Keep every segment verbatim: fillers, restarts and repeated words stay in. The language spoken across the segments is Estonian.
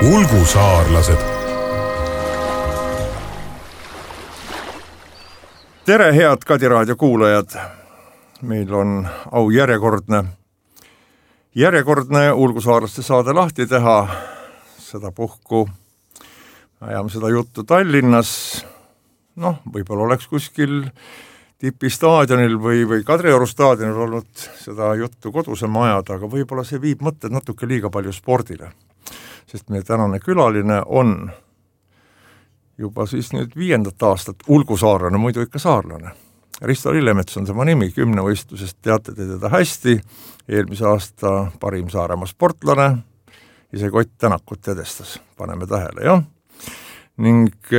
ulgusaarlased. Tere, head Kadi raadio kuulajad! Meil on au järjekordne, järjekordne ulgusaarlaste saade lahti teha. Seda puhku ajame seda juttu Tallinnas. Noh, võib-olla oleks kuskil Tipi staadionil või, või Kadrioru staadionil olnud seda juttu kodusel majada, aga võib-olla see viib mõtted natuke liiga palju spordile. Sest meie tänane külaline on juba siis nüüd viiendat aastat ulgusaarlane, muidu ikka saarlane. Risto Lillemets on tema nimi, kümnevõistlusest teate te teda hästi, eelmise aasta parim Saaremaa sportlane, ise Kott Tänakut edestas, paneme tähele, jah? Ning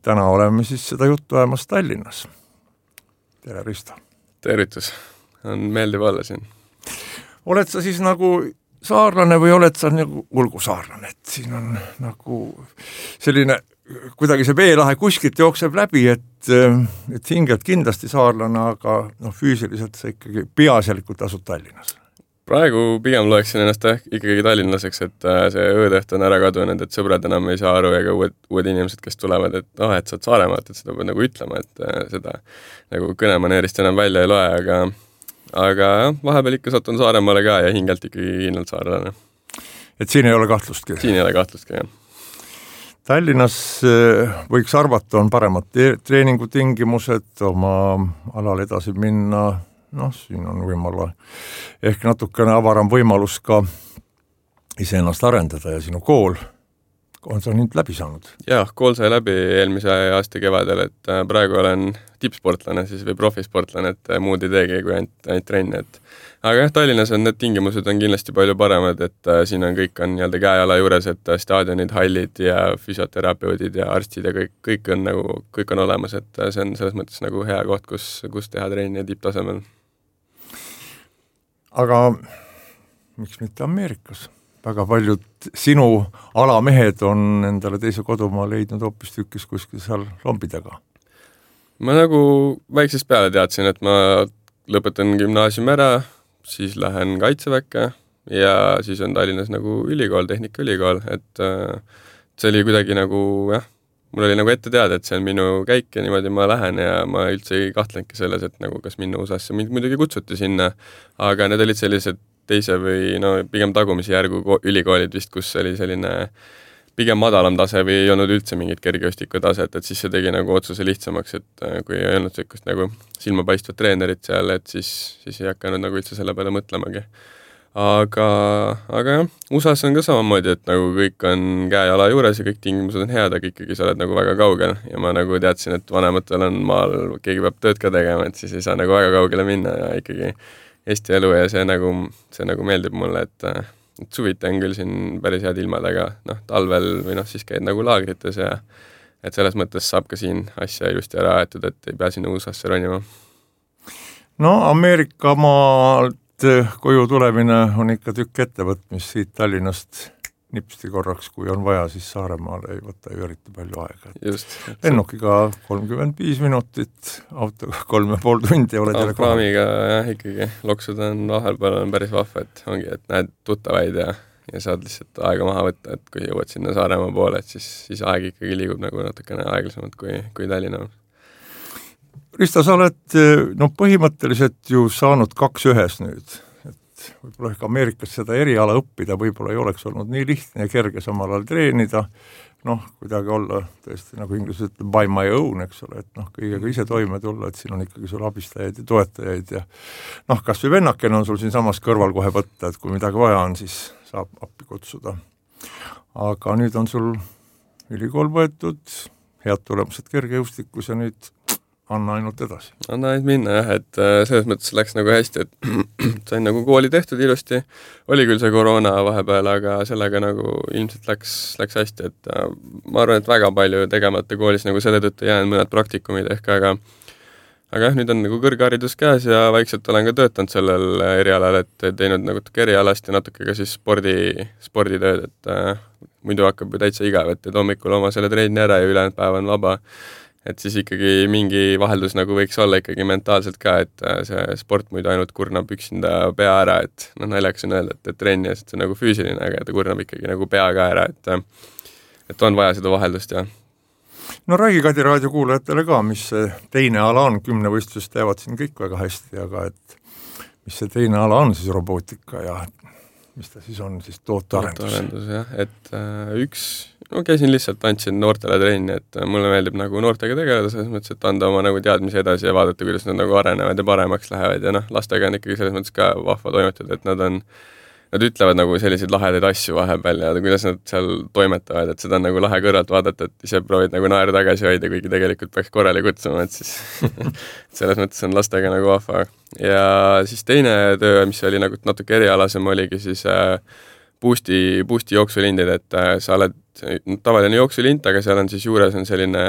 täna oleme siis seda juttu ajamas Tallinnas. Tere, Risto! Tervitus! On meeldiv olla siin. Oled sa siis nagu saarlane või oled sa nagu ulgusaarlane? Et siin on nagu selline, kuidagi see veelahe kuskilt jookseb läbi, et, et hingelt kindlasti saarlane, aga no, füüsiliselt sa ikkagi peaasjalikult asud Tallinnas. Praegu pigem loeksin ennast ikkagi tallinlaseks, et see öödeht on ära kadunud, et sõbrad enam ei saa aru ega uued, uued inimesed, kes tulevad, et oh, et sa oled Saaremaalt, et seda pead nagu ütlema, et seda nagu kõnemaneerist enam välja ei loe, aga, aga vahepeal ikka satun Saaremaale ka ja hingelt ikkagi kindlalt saarlane. Et siin ei ole kahtlustki? Siin ei ole kahtlustki, jah. Tallinnas võiks arvata, on paremad treeningutingimused, oma alal edasi minna. Noh, siin on võimala ehk natukene avaram võimalus ka iseennast arendada ja sinu kool on sa nüüd läbi saanud? Jah, kool sai läbi eelmise aasta kevadel, et praegu olen tippsportlane siis või profisportlane, et muud ei teegi kui ainult, ainult trenni. Et. Aga jah, Tallinnas on need tingimused on kindlasti palju paremad, et siin on kõik on nii-öelda käejala juures, et staadionid, hallid ja füsioterapeudid ja arstid ja kõik, kõik on nagu, kõik on olemas, et see on selles mõttes nagu hea koht, kus, kus teha trenni tipptasemel. Aga miks mitte Ameerikas? Väga paljud sinu alamehed on endale teise kodumaa leidnud hoopis tükis kuskil seal lombidega. Ma nagu väiksest peale teadsin, et ma lõpetan gümnaasiumi ära, siis lähen kaitseväkke ja siis on Tallinnas nagu ülikool, tehnikaülikool, et see oli kuidagi nagu, jah, mul oli nagu ette teada, et see on minu käik ja niimoodi ma lähen ja ma üldse ei kahtlengi selles, et nagu kas minna U S A-sse, mind muidugi kutsuti sinna, aga need olid sellised teise või no pigem tagumisi järgu ülikoolid vist, kus oli selline pigem madalam tase või ei olnud üldse mingit kergejõustiku taset, et siis see tegi nagu otsuse lihtsamaks, et kui ei olnud sellist nagu silmapaistvat treenerit seal, et siis, siis ei hakanud nagu üldse selle peale mõtlemagi. Aga, aga jah, U S A-s on ka samamoodi, et nagu kõik on käejala juures ja kõik tingimused on head, aga ikkagi sa oled nagu väga kaugel ja ma nagu teadsin, et vanematel on maal, keegi peab tööd ka tegema, et siis ei saa nagu väga kaugele minna ja ikkagi Eesti elu ja see nagu, see nagu meeldib mulle, et, et suviti on küll siin päris head ilmad, aga noh, talvel või noh, siis käid nagu laagrites ja et selles mõttes saab ka siin asja ilusti ära aetud, et ei pea sinna U S A-sse ronima. No Ameerika maalt koju tulemine on ikka tükk ettevõtmis siit Tallinnast nipsti korraks, kui on vaja, siis Saaremaale ei võta ju eriti palju aega. Just. Lennukiga kolmkümmend viis minutit, autoga kolm ja pool tundi oled jälle kohal. Praamiga jah, ikkagi loksud on vahel peal on päris vahva, et ongi, et näed tuttavaid ja, ja saad lihtsalt aega maha võtta, et kui jõuad sinna Saaremaa poole, et siis, siis aeg ikkagi liigub nagu natukene aeglasemalt kui, kui Tallinna. Risto, sa oled no, põhimõtteliselt ju saanud kaks ühes nüüd, et võib-olla ehk Ameerikas seda eriala õppida võib-olla ei oleks olnud nii lihtne ja kerge samal ajal treenida, noh, kuidagi olla tõesti nagu inglased ütleb by my own, eks ole, et noh, kõigega ise toime tulla, et siin on ikkagi sul abistajaid ja toetajaid ja noh, kas või vennakene on sul siin samas kõrval kohe võtta, et kui midagi vaja on, siis saab appi kutsuda. Aga nüüd on sul ülikool võetud, head tulemused kergejõustikus ja nüüd anna ainult edasi. Anna ainult minna jah, et selles mõttes läks nagu hästi, et sain nagu kooli tehtud ilusti, oli küll see koroona vahepeal, aga sellega nagu ilmselt läks, läks hästi, et ma arvan, et väga palju tegemata koolis nagu selle tõttu jäänud mõned praktikumid ehk, aga aga jah, nüüd on nagu kõrgharidus käes ja vaikselt olen ka töötanud sellel erialal, et teinud nagu erialast ja natuke ka siis spordi, sporditööd, et äh, muidu hakkab ju täitsa igav, et hommikul oma selle treeni ära ja ülejäänud päev on vaba. et siis ikkagi mingi vaheldus nagu võiks olla ikkagi mentaalselt ka, et see sport muidu ainult kurnab üksinda pea ära, et noh, naljakas on öelda, et, et trenni, et see on nagu füüsiline, aga ta kurnab ikkagi nagu pea ka ära, et et on vaja seda vaheldust ja no räägi Kadi raadio kuulajatele ka, mis see teine ala on, kümnevõistlused teevad siin kõik väga hästi, aga et mis see teine ala on siis robootika ja mis ta siis on, siis tootearendus? Tootearendus, jah, et äh, üks, no käisin lihtsalt, andsin noortele trenni, et äh, mulle meeldib nagu noortega tegeleda, selles mõttes, et anda oma nagu teadmisi edasi ja vaadata, kuidas nad nagu arenevad ja paremaks lähevad ja noh, lastega on ikkagi selles mõttes ka vahva toimetada, et nad on, nad ütlevad nagu selliseid lahedaid asju vahepeal ja kuidas nad seal toimetavad, et seda on nagu lahe kõrvalt vaadata, et ise proovid nagu naeru tagasi hoida, kuigi tegelikult peaks korrali kutsuma, et siis selles mõttes on lastega nagu vahva. Ja siis teine töö, mis oli nagu natuke erialasem, oligi siis äh, Boosti, Boosti jooksulindid, et äh, sa oled tavaline jooksulind, aga seal on siis juures on selline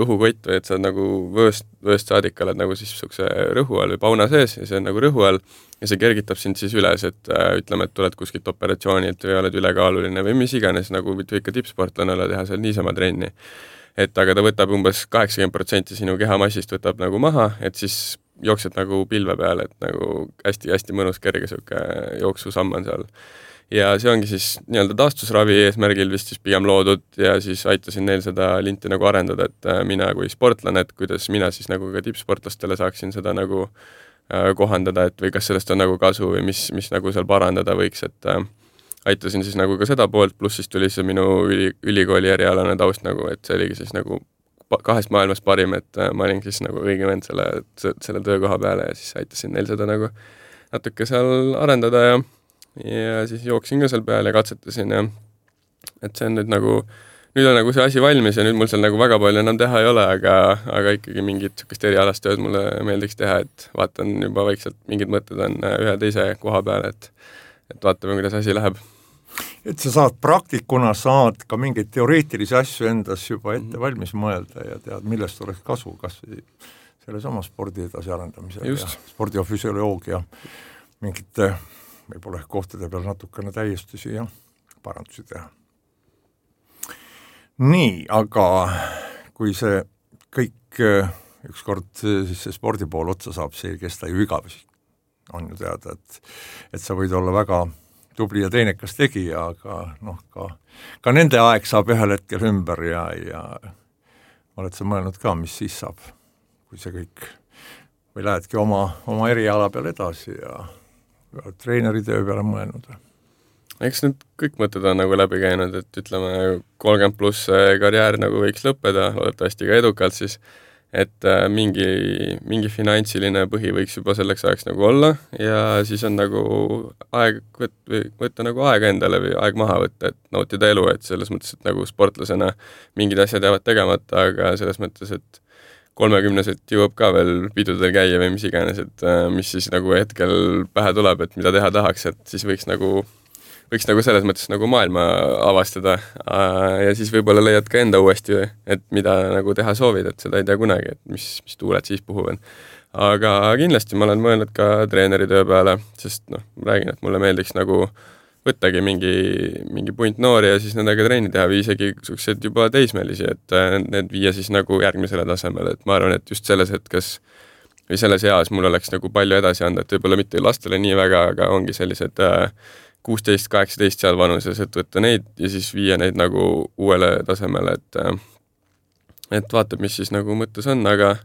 õhukott või et sa oled nagu vööst, vööst saadik oled nagu siis sukse rõhu all või pauna sees ja see on nagu rõhu all ja see kergitab sind siis üles, et äh, ütleme, et tuled kuskilt operatsioonilt või oled ülekaaluline või mis iganes, nagu võid ikka tippsportlane olla, teha seal niisama trenni. Et aga ta võtab umbes kaheksakümmend protsenti sinu kehamassist võtab nagu maha, et siis jooksed nagu pilve peale, et nagu hästi-hästi mõnus kerge siuke jooksusamm on seal. Ja see ongi siis nii-öelda taastusravi eesmärgil vist siis pigem loodud ja siis aitasin neil seda linti nagu arendada, et mina kui sportlane, et kuidas mina siis nagu ka tippsportlastele saaksin seda nagu äh, kohandada, et või kas sellest on nagu kasu või mis, mis nagu seal parandada võiks, et äh, aitasin siis nagu ka seda poolt, pluss siis tuli see minu üli, ülikooli erialane taust nagu, et see oligi siis nagu kahest maailmast parim, et äh, ma olin siis nagu õige vend selle, selle töökoha peale ja siis aitasin neil seda nagu natuke seal arendada ja ja siis jooksin ka seal peal ja katsetasin ja et see on nüüd nagu, nüüd on nagu see asi valmis ja nüüd mul seal nagu väga palju enam teha ei ole, aga, aga ikkagi mingit sükest erialast tööd mulle meeldiks teha, et vaatan juba vaikselt, mingid mõtted on ühe teise koha peal, et, et vaatame, kuidas asi läheb. Et sa saad praktikuna, saad ka mingeid teoreetilisi asju endas juba ette valmis mõelda ja tead, millest oleks kasu, kas selle sama spordi edasi arendamisel ja spordi ja füsioloogia mingite võib-olla kohtade peal natukene täiestusi ja parandusi teha. Nii, aga kui see kõik ükskord siis see spordi pool otsa saab, see ei kesta ju igavesi. On ju teada, et, et sa võid olla väga tubli ja teinekas tegija, aga noh, ka, ka nende aeg saab ühel hetkel ümber ja, ja oled sa mõelnud ka, mis siis saab, kui see kõik või lähedki oma, oma eriala peal edasi ja treeneri töö peale mõelnud. Eks need kõik mõtted on nagu läbi käinud, et ütleme kolmkümmend pluss karjäär nagu võiks lõppeda, loodetavasti ka edukalt siis, et mingi, mingi finantsiline põhi võiks juba selleks ajaks nagu olla ja siis on nagu aeg võtta, võtta nagu aega endale või aeg maha võtta, et nautida elu, et selles mõttes, et nagu sportlasena mingid asjad jäävad tegemata, aga selles mõttes, et kolmekümneselt jõuab ka veel pidudel käia või mis iganes, et mis siis nagu hetkel pähe tuleb, et mida teha tahaks, et siis võiks nagu, võiks nagu selles mõttes nagu maailma avastada ja siis võib-olla leiad ka enda uuesti, et mida nagu teha soovid, et seda ei tea kunagi, et mis, mis tuuled siis puhuvad. Aga kindlasti ma olen mõelnud ka treeneri töö peale, sest noh, räägin, et mulle meeldiks nagu võttagi mingi, mingi punt noori ja siis nendega treeni teha või isegi sellised juba teismelisi, et need viia siis nagu järgmisele tasemele, et ma arvan, et just selles hetkes või selles eas mul oleks nagu palju edasi anda, et võib-olla mitte lastele nii väga, aga ongi sellised kuusteist kaheksateist seal vanuses, et võtta neid ja siis viia neid nagu uuele tasemele, et et vaatab, mis siis nagu mõttes on, aga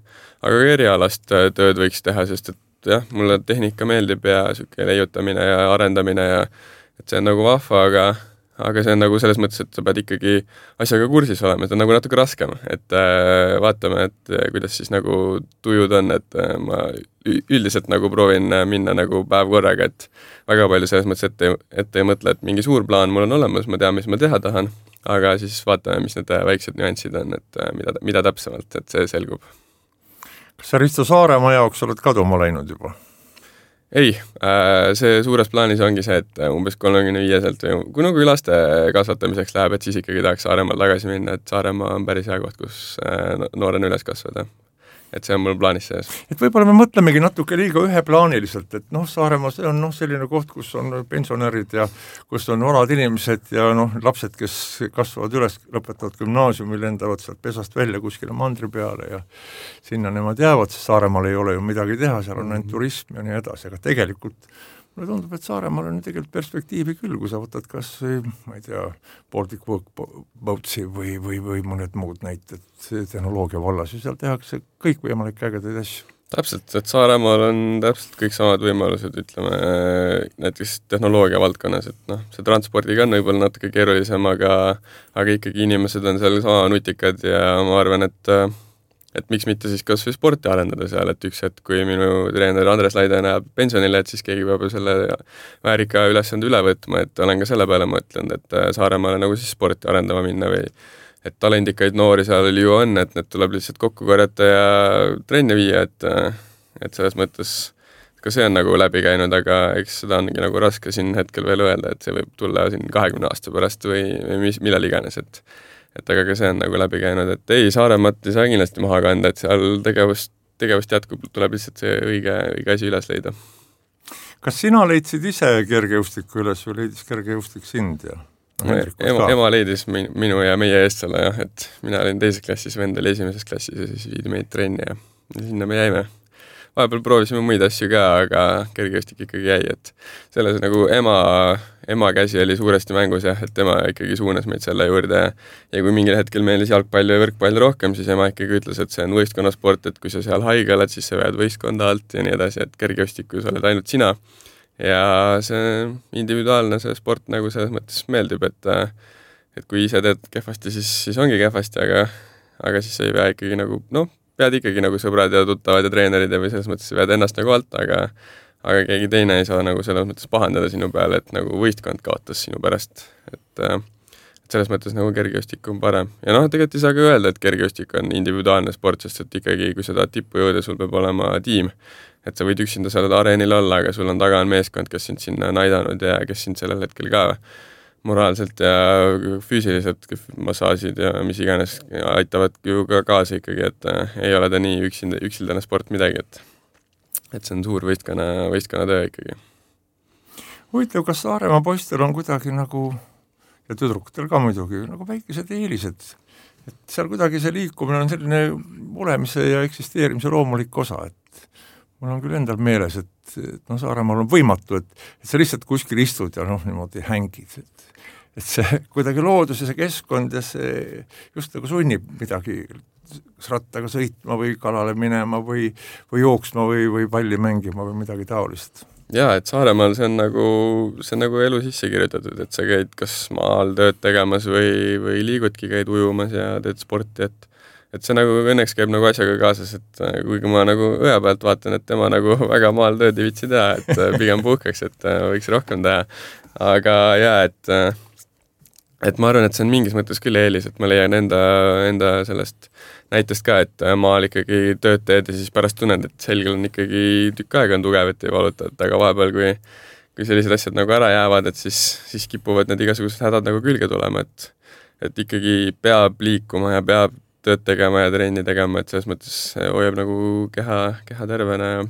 aga erialast tööd võiks teha, sest et jah, mulle tehnika meeldib ja siuke leiutamine ja arendamine ja et see on nagu vahva, aga, aga see on nagu selles mõttes, et sa pead ikkagi asjaga kursis olema, see on nagu natuke raskem, et äh, vaatame, et äh, kuidas siis nagu tujud on, et äh, ma üldiselt nagu proovin minna nagu päev korraga, et väga palju selles mõttes ette, ette ei mõtle, et mingi suur plaan mul on olemas, ma tean, mis ma teha tahan, aga siis vaatame, mis need väiksed nüansid on, et äh, mida, mida täpsemalt, et see selgub. Kas sa Risto Saaremaa jaoks oled kaduma läinud juba? Ei, see suures plaanis ongi see, et umbes kolmekümne viieselt või kui nagu laste kasvatamiseks läheb, et siis ikkagi tahaks Saaremaal tagasi minna, et Saaremaa on päris hea koht, kus noor on üles kasvada. et see on mul plaanis sees. Et võib-olla me mõtlemegi natuke liiga üheplaaniliselt, et noh, Saaremaa see on noh, selline koht, kus on pensionärid ja kus on vanad inimesed ja noh, lapsed, kes kasvavad üles, lõpetavad gümnaasiumi, lendavad sealt pesast välja kuskile mandri peale ja sinna nemad jäävad, sest Saaremaal ei ole ju midagi teha, seal on ainult turism ja nii edasi, aga tegelikult mulle tundub, et Saaremaal on tegelikult perspektiivi küll, kui sa võtad kas, ma ei tea, Baltic Boatsi või, või, või mõned muud näited tehnoloogia vallas ja seal tehakse kõik võimalik ägedaid asju. Täpselt, et Saaremaal on täpselt kõik samad võimalused, ütleme, näiteks tehnoloogia valdkonnas, et noh, see transpordiga on võib-olla natuke keerulisem, aga, aga ikkagi inimesed on seal sama nutikad ja ma arvan, et et miks mitte siis kas või sporti arendada seal, et üks hetk, kui minu treener Andres Laide näeb pensionile, et siis keegi peab ju selle väärika ülesande üle võtma, et olen ka selle peale mõtlenud, et Saaremaale nagu siis sporti arendama minna või et talendikaid noori seal ju on, et need tuleb lihtsalt kokku korjata ja trenni viia, et, et selles mõttes ka see on nagu läbi käinud, aga eks seda ongi nagu raske siin hetkel veel öelda, et see võib tulla siin kahekümne aasta pärast või, või mis, millal iganes, et et aga ka see on nagu läbi käinud, et ei, Saaremaat ei saa kindlasti maha kanda, et seal tegevust, tegevust jätkub, tuleb lihtsalt see õige, õige asi üles leida. Kas sina leidsid ise kergejõustiku üles või leidis kergejõustik sind ja? No, ema, ema leidis minu ja meie eest selle jah, et mina olin teises klassis, vend oli esimeses klassis ja siis viidi meid trenni ja, ja sinna me jäime. Vahepeal proovisime muid asju ka, aga kergejõustik ikkagi jäi, et selles nagu ema, ema käsi oli suuresti mängus jah, et tema ikkagi suunas meid selle juurde ja kui mingil hetkel meelis jalgpall ja võrkpall rohkem, siis ema ikkagi ütles, et see on võistkonnasport, et kui sa seal haige oled, siis sa vead võistkonda alt ja nii edasi, et kergejõustikus oled ainult sina ja see individuaalne see sport nagu selles mõttes meeldib, et et kui ise teed kehvasti, siis, siis ongi kehvasti, aga, aga siis sa ei pea ikkagi nagu, noh, pead ikkagi nagu sõbrad ja tuttavad ja treenerid ja või selles mõttes vead ennast nagu alt, aga aga keegi teine ei saa nagu selles mõttes pahandada sinu peale, et nagu võistkond kaotas sinu pärast, et, et selles mõttes nagu kergejõustik on parem. Ja noh, tegelikult ei saa ka öelda, et kergejõustik on individuaalne sport, sest et ikkagi, kui sa tahad tippu jõuda, sul peab olema tiim, et sa võid üksinda sellel areenil olla, aga sul on taga on meeskond, kes sind sinna on aidanud ja kes sind sellel hetkel ka moraalselt ja füüsiliselt massaažid ja mis iganes aitavad ju ka kaasa ikkagi, et äh, ei ole ta nii üksinda, üksildane sport midagi, et et see on suur võistkonna, võistkonna töö ikkagi. Huvitav, kas Saaremaa poistel on kuidagi nagu, ja tüdrukutel ka muidugi, nagu väikesed eelised, et seal kuidagi see liikumine on selline olemise ja eksisteerimise loomulik osa, et mul on küll endal meeles, et, et no Saaremaal on võimatu, et, et sa lihtsalt kuskil istud ja noh, niimoodi hängid, et et see kuidagi loodus ja see keskkond ja see just nagu sunnib midagi kas rattaga sõitma või kalale minema või, või jooksma või, või palli mängima või midagi taolist. Jaa, et Saaremaal see on nagu, see on nagu elu sisse kirjutatud, et sa käid kas maal tööd tegemas või, või liigudki, käid ujumas ja teed sporti, et et see nagu õnneks käib nagu asjaga kaasas, et kuigi ma nagu õe pealt vaatan, et tema nagu väga maal tööd ei vitsi teha, et pigem puhkaks, et võiks rohkem teha. Aga jaa, et et ma arvan, et see on mingis mõttes küll eelis, et ma leian enda, enda sellest näitest ka, et maal ikkagi tööd teed ja siis pärast tunned, et selgel on ikkagi tükk aega on tugev, et ei valuta, et aga vahepeal, kui, kui sellised asjad nagu ära jäävad, et siis, siis kipuvad need igasugused hädad nagu külge tulema, et, et ikkagi peab liikuma ja peab tööd tegema ja trenni tegema, et selles mõttes hoiab nagu keha, keha tervena ja,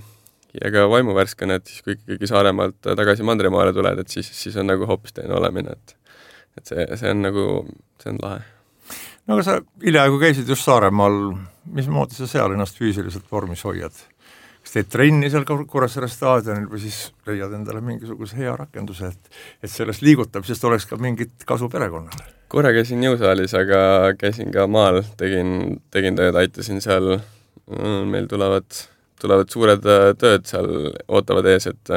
ja ka vaimuvärskena, et siis kui ikkagi Saaremaalt tagasi Mandrimaale tuled, et siis, siis on nagu hoopis teine olemine, et et see, see on nagu, see on lahe. No aga sa hiljaaegu käisid just Saaremaal, mismoodi sa seal ennast füüsiliselt vormis hoiad? Kas teed trenni seal Kuressaare staadionil või siis leiad endale mingisuguse hea rakenduse, et, et sellest liigutamisest oleks ka mingit kasu perekonnale? Korra käisin jõusaalis, aga käisin ka maal, tegin, tegin tööd, aitasin seal, meil tulevad, tulevad suured tööd seal, ootavad ees, et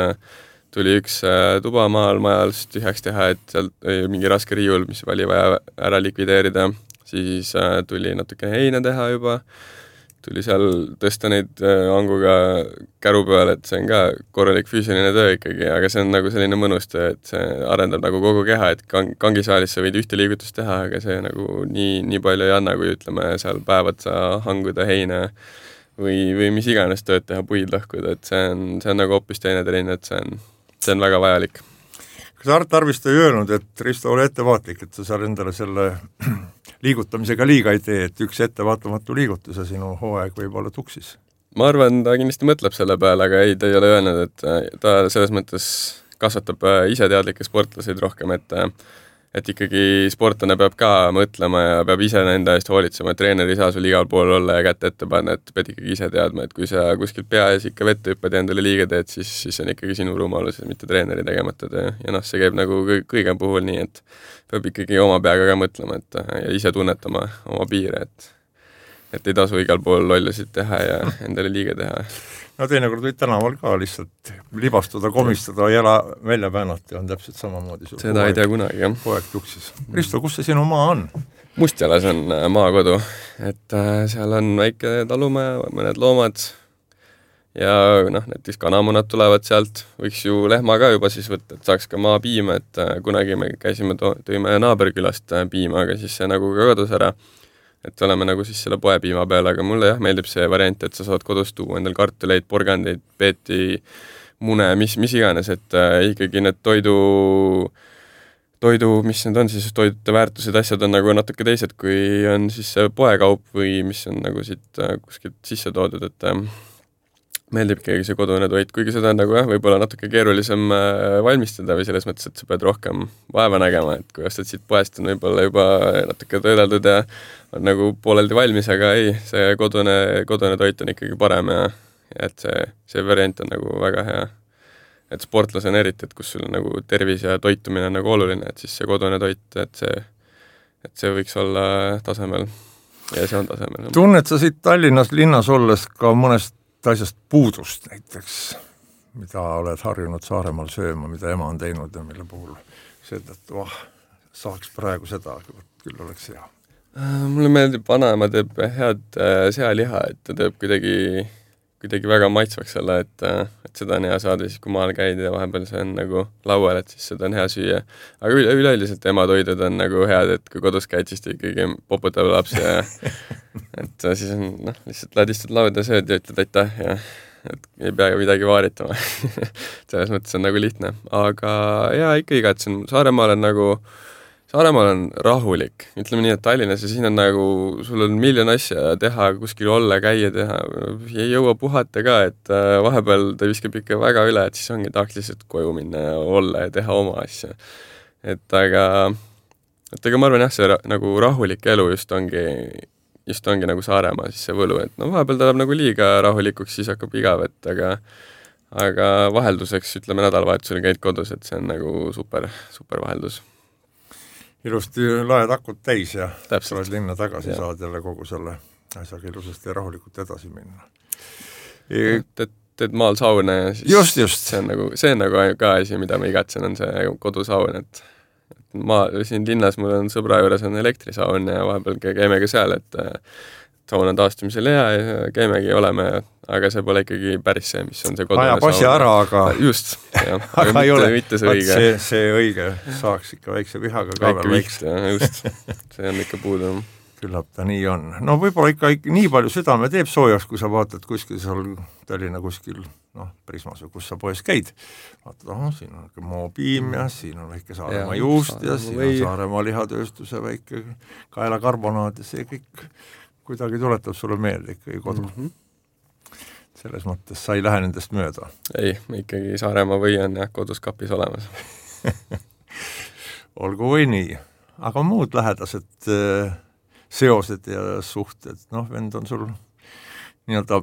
tuli üks tuba maal majal tühjaks teha, et seal oli mingi raske riiul, mis oli vaja ära likvideerida, siis tuli natuke heina teha juba, tuli seal tõsta neid anguga käru peale, et see on ka korralik füüsiline töö ikkagi, aga see on nagu selline mõnus töö, et see arendab nagu kogu keha, et kang, kangisaalis sa võid ühte liigutust teha, aga see nagu nii, nii palju ei anna, kui ütleme seal päevad sa hanguda heina või, või mis iganes tööd teha, puid lõhkuda, et see on, see on nagu hoopis teine trenn, et see on see on väga vajalik. Kas Art Arviste ei öelnud, et Risto, ole ettevaatlik, et sa seal endale selle liigutamisega liiga ei tee, et üks ettevaatamatu liigutus ja sinu hooaeg võib olla tuksis. Ma arvan, ta kindlasti mõtleb selle peale, aga ei, ta ei ole öelnud, et ta selles mõttes kasvatab iseteadlikke sportlaseid rohkem, et et ikkagi sportlane peab ka mõtlema ja peab ise nende eest hoolitsema, et treener ei saa sul igal pool olla ja kätte ette panna, et pead ikkagi ise teadma, et kui sa kuskilt pea ees ikka vette hüppad ja endale liiga teed, siis, siis on ikkagi sinu rumalus, mitte treeneri tegemata töö. Ja noh, see käib nagu kõige puhul nii, et peab ikkagi oma peaga ka mõtlema, et ja ise tunnetama oma piire, et et ei tasu igal pool lollusid teha ja endale liiga teha. No teinekord võid tänaval ka lihtsalt libastuda, komistada, jala välja päänata ja on täpselt samamoodi. Seda ei tea kunagi, jah. Poeg tuksis. Risto, kus see sinu maa on? Mustjalas on maakodu, et seal on väike talumaja, mõned loomad ja noh, näiteks kanamunad tulevad sealt, võiks ju lehma ka juba siis võtta, et saaks ka maa piima, et kunagi me käisime, tõime naaberkülast piima, aga siis see nagu ka kadus ära. Et oleme nagu siis selle poepiima peal, aga mulle jah meeldib see variant, et sa saad kodus tuua endal kartuleid, porgandeid, peeti, mune, mis, mis iganes, et äh, ikkagi need toidu, toidu, mis need on siis, toidude väärtused, asjad on nagu natuke teised, kui on siis see poekaup või mis on nagu siit äh, kuskilt sisse toodud, et äh, meeldib ikkagi see kodune toit, kuigi seda on nagu jah, võib-olla natuke keerulisem äh, valmistada või selles mõttes, et sa pead rohkem vaeva nägema, et kui ostad siit poest on võib-olla juba natuke töödeldud ja on nagu pooleldi valmis, aga ei, see kodune, kodune toit on ikkagi parem ja, ja et see, see variant on nagu väga hea. Et sportlasena eriti, et kus sul on nagu tervis ja toitumine on nagu oluline, et siis see kodune toit, et see, et see võiks olla tasemel ja see on tasemel. Tunned sa siit Tallinnas linnas olles ka mõnest asjast puudust näiteks, mida oled harjunud Saaremaal sööma, mida ema on teinud ja mille puhul see, et oh, saaks praegu seda, küll oleks hea. Mulle meeldib, vanaema teeb head sealiha, et ta teeb kuidagi, kuidagi väga maitsvaks selle, et, et seda on hea saada siis, kui maal käid ja vahepeal see on nagu laual, et siis seda on hea süüa. Aga üle, üleüldiselt ema toidud on nagu head, et kui kodus käid, siis ta ikkagi poputab lapsi ja et siis on, noh, lihtsalt ladistad lauda, sööd ja ütled aitäh ja et ei pea midagi vaaritama. Selles mõttes on nagu lihtne. Aga jaa, ikka igatsen. Saaremaal on nagu, Saaremaal on rahulik. Ütleme nii, et Tallinnas ja siin on nagu, sul on miljon asja teha, kuskil olla, käia teha. Ei jõua puhata ka, et vahepeal ta viskab ikka väga üle, et siis ongi tahaks lihtsalt koju minna ja olla ja teha oma asja. Et aga, et aga ma arvan jah, see ra, nagu rahulik elu just ongi just ongi nagu Saaremaa siis see võlu, et no vahepeal ta läheb nagu liiga rahulikuks, siis hakkab igav, et aga, aga vahelduseks, ütleme nädalavahetusel käid kodus, et see on nagu super, super vaheldus. Ilusti laed akut täis ja Täpselt. Oled linna tagasi ja. Saad jälle kogu selle asjaga ilusasti ja rahulikult edasi minna. E... Teed, teed maal sauna ja siis just, just. See, on nagu, see on nagu ka asi, mida ma igatsen, on see kodusaun, et ma siin linnas mul on sõbra juures on elektrisaun ja vahepeal käime ka seal, et saun on taastumisel hea ja käimegi oleme, aga see pole ikkagi päris see, mis on see kodune saun. Aja passi ära, aga just, jah, aga, aga ei ole, mitte see õige. See, see õige saaks ikka väikse vihaga ka veel väikse. Just, see on ikka puudu. Küllap ta nii on. No võib-olla ikka, ikka nii palju südame teeb soojaks, kui sa vaatad kuskil seal Tallinna kuskil, noh, Prismas või kus sa poes käid. Vaatad, oh, siin on moopiim ja siin on väike Saaremaa ja, juust ja siin või... on Saaremaa lihatööstuse väike kaelakarbonaad ja see kõik kuidagi tuletab sulle meelde ikkagi kodu. Mm-hmm. Selles mõttes sa ei lähe nendest mööda. Ei, ikkagi Saaremaa või on jah, kodus kapis olemas. Olgu või nii. Aga muud lähedased seosed ja suhted, noh, vend on sul nii-öelda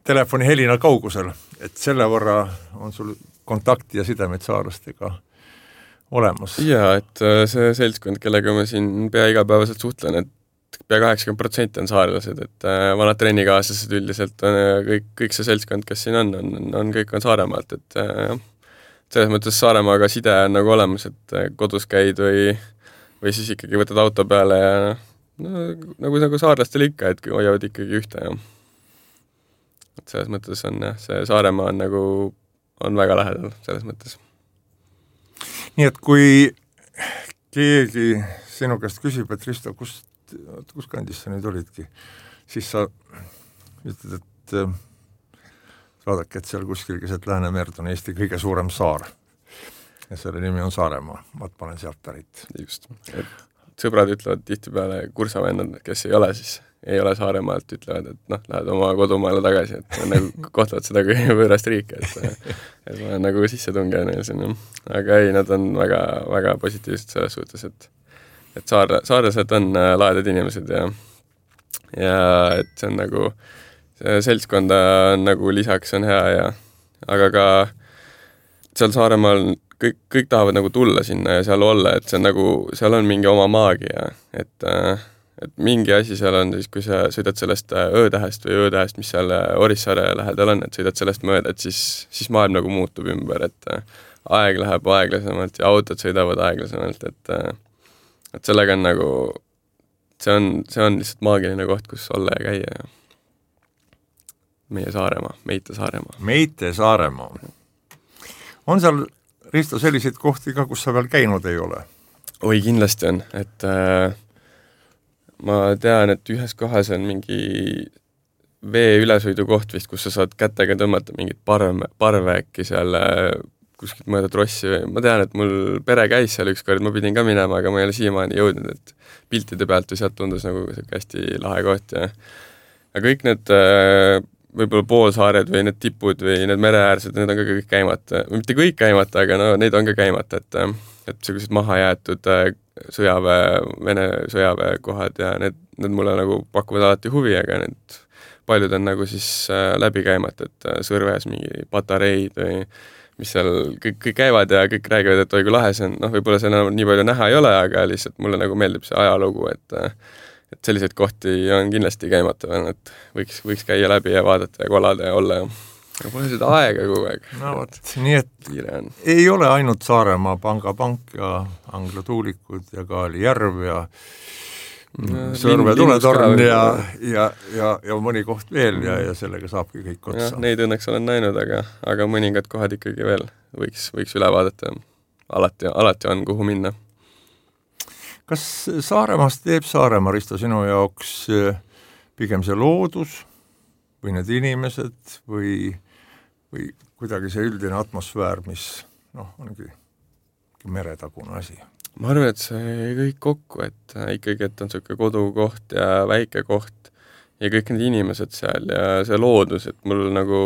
telefoni helina kaugusel, et selle võrra on sul kontakti ja sidemeid saarlastega olemas. Jaa, et see seltskond, kellega ma siin pea igapäevaselt suhtlen, et pea kaheksakümmend protsenti on saarlased, et vanad trennikaaslased üldiselt on kõik, kõik see seltskond, kes siin on, on, on kõik on Saaremaalt, et jah, selles mõttes Saaremaaga side on nagu olemas, et kodus käid või, või siis ikkagi võtad auto peale ja no, nagu, nagu saarlastel ikka, et hoiavad ikkagi ühte ja et selles mõttes on jah, see Saaremaa on nagu, on väga lähedal selles mõttes. Nii et kui keegi sinu käest küsib, et Risto, kust, kus kandis sa nüüd olidki, siis sa ütled, et vaadake, et seal kuskil keset Läänemerd on Eesti kõige suurem saar ja selle nimi on Saaremaa, ma panen sealt pärit. Just. sõbrad ütlevad tihtipeale, kursavennad, kes ei ole, siis ei ole Saaremaalt, ütlevad, et noh, lähed oma kodumaale tagasi, et nagu kohtavad seda kui võõrast riiki, et, et ma olen nagu sisse tungev neil siin. Aga ei, nad on väga, väga positiivsed selles suhtes, et, et saare, saaresed on laedad inimesed ja, ja et see on nagu, see seltskonda on nagu lisaks on hea ja, aga ka seal Saaremaal kõik, kõik tahavad nagu tulla sinna ja seal olla, et see on nagu, seal on mingi oma maagia, et et mingi asi seal on siis, kui sa sõidad sellest öötähest või öötähest, mis seal Orissaare lähedal on, et sõidad sellest mööda, et siis, siis maailm nagu muutub ümber, et aeg läheb aeglasemalt ja autod sõidavad aeglasemalt, et et sellega on nagu, see on, see on lihtsalt maagiline koht, kus olla ja käia ja meie Saaremaa, Meite Saaremaa. Meite Saaremaa. On seal, Risto, selliseid kohti ka, kus sa veel käinud ei ole? Oi, kindlasti on, et äh, ma tean, et ühes kohas on mingi vee ülesõidu koht vist, kus sa saad kätega tõmmata mingit parve, parve äkki seal kuskilt mõõda trossi. Ma tean, et mul pere käis seal ükskord, ma pidin ka minema, aga ma ei ole siiamaani jõudnud, et piltide pealt või sealt tundus nagu hästi lahe koht. Ja, ja kõik need võib-olla poolsaared või need tipud või need mereäärsed, need on ka kõik käimata. Mitte kõik käimata, aga no neid on ka käimata, et et sellised maha jäetud sõjaväe, Vene sõjaväe kohad ja need, need mulle nagu pakuvad alati huvi, aga need paljud on nagu siis läbi käimata, et Sõrves mingi patareid või mis seal kõik, kõik käivad ja kõik räägivad, et oi kui lahe see on, noh võib-olla seal nii palju näha ei ole, aga lihtsalt mulle nagu meeldib see ajalugu, et et selliseid kohti on kindlasti käimata veel, et võiks, võiks käia läbi ja vaadata ja kolada ja olla ja aga pole seda aega kogu aeg. No võt, nii et ei ole ainult Saaremaa Pangapank ja Angla tuulikud ja Kaali järv ja no, Sõrve tuletorn ja, ja, ja, ja mõni koht veel ja, ja sellega saabki kõik otsa. Ja, neid õnneks olen näinud, aga, aga mõningad kohad ikkagi veel võiks, võiks üle vaadata. Alati, alati on kuhu minna. Kas Saaremaast teeb Saaremaa, Risto, sinu jaoks pigem see loodus või need inimesed või, või kuidagi see üldine atmosfäär, mis noh, ongi meretagune asi? Ma arvan, et see kõik kokku, et ikkagi, et on selline kodukoht ja väike koht ja kõik need inimesed seal ja see loodus, et mul nagu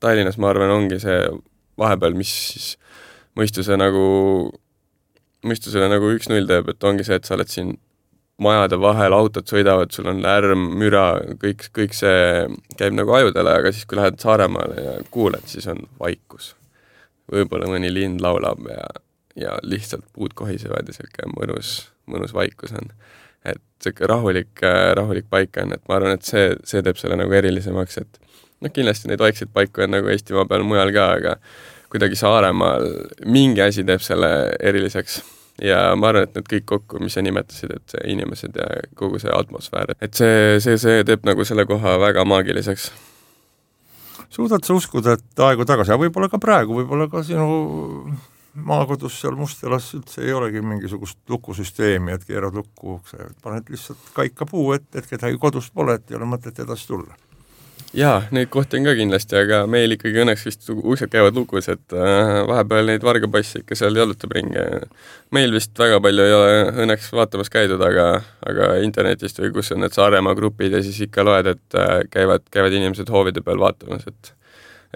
Tallinnas, ma arvan, ongi see vahepeal, mis siis mõistuse nagu, mõistusele nagu üks null teeb, et ongi see, et sa oled siin majade vahel, autod sõidavad, sul on lärm, müra, kõik, kõik see käib nagu ajudele, aga siis kui lähed Saaremaale ja kuuled, siis on vaikus. Võib-olla mõni lind laulab ja, ja lihtsalt puud kohisevad ja selline mõnus, mõnus vaikus on. Et selline rahulik, rahulik paik on, et ma arvan, et see, see teeb selle nagu erilisemaks, et noh, kindlasti neid vaikseid paiku on nagu Eestimaa peal mujal ka, aga kuidagi Saaremaal mingi asi teeb selle eriliseks. Ja ma arvan, et need kõik kokku, mis sa nimetasid, et inimesed ja kogu see atmosfäär, et see, see, see teeb nagu selle koha väga maagiliseks. Suudad sa uskuda, et aegu tagasi, ja võib-olla ka praegu, võib-olla ka sinu maakodus seal Mustjalas üldse ei olegi mingisugust lukusüsteemi, et keerad lukku, paned lihtsalt kaika puu, et, et kedagi kodust pole, et ei ole mõtet edasi tulla. Jaa, neid kohti on ka kindlasti, aga meil ikkagi õnneks vist uksed käivad lukus, et äh, vahepeal neid vargapassi ikka seal jalutab ringi. Meil vist väga palju ei ole õnneks vaatamas käidud, aga, aga internetist või kus on need Saaremaa grupid ja siis ikka loed, et äh, käivad, käivad inimesed hoovide peal vaatamas, et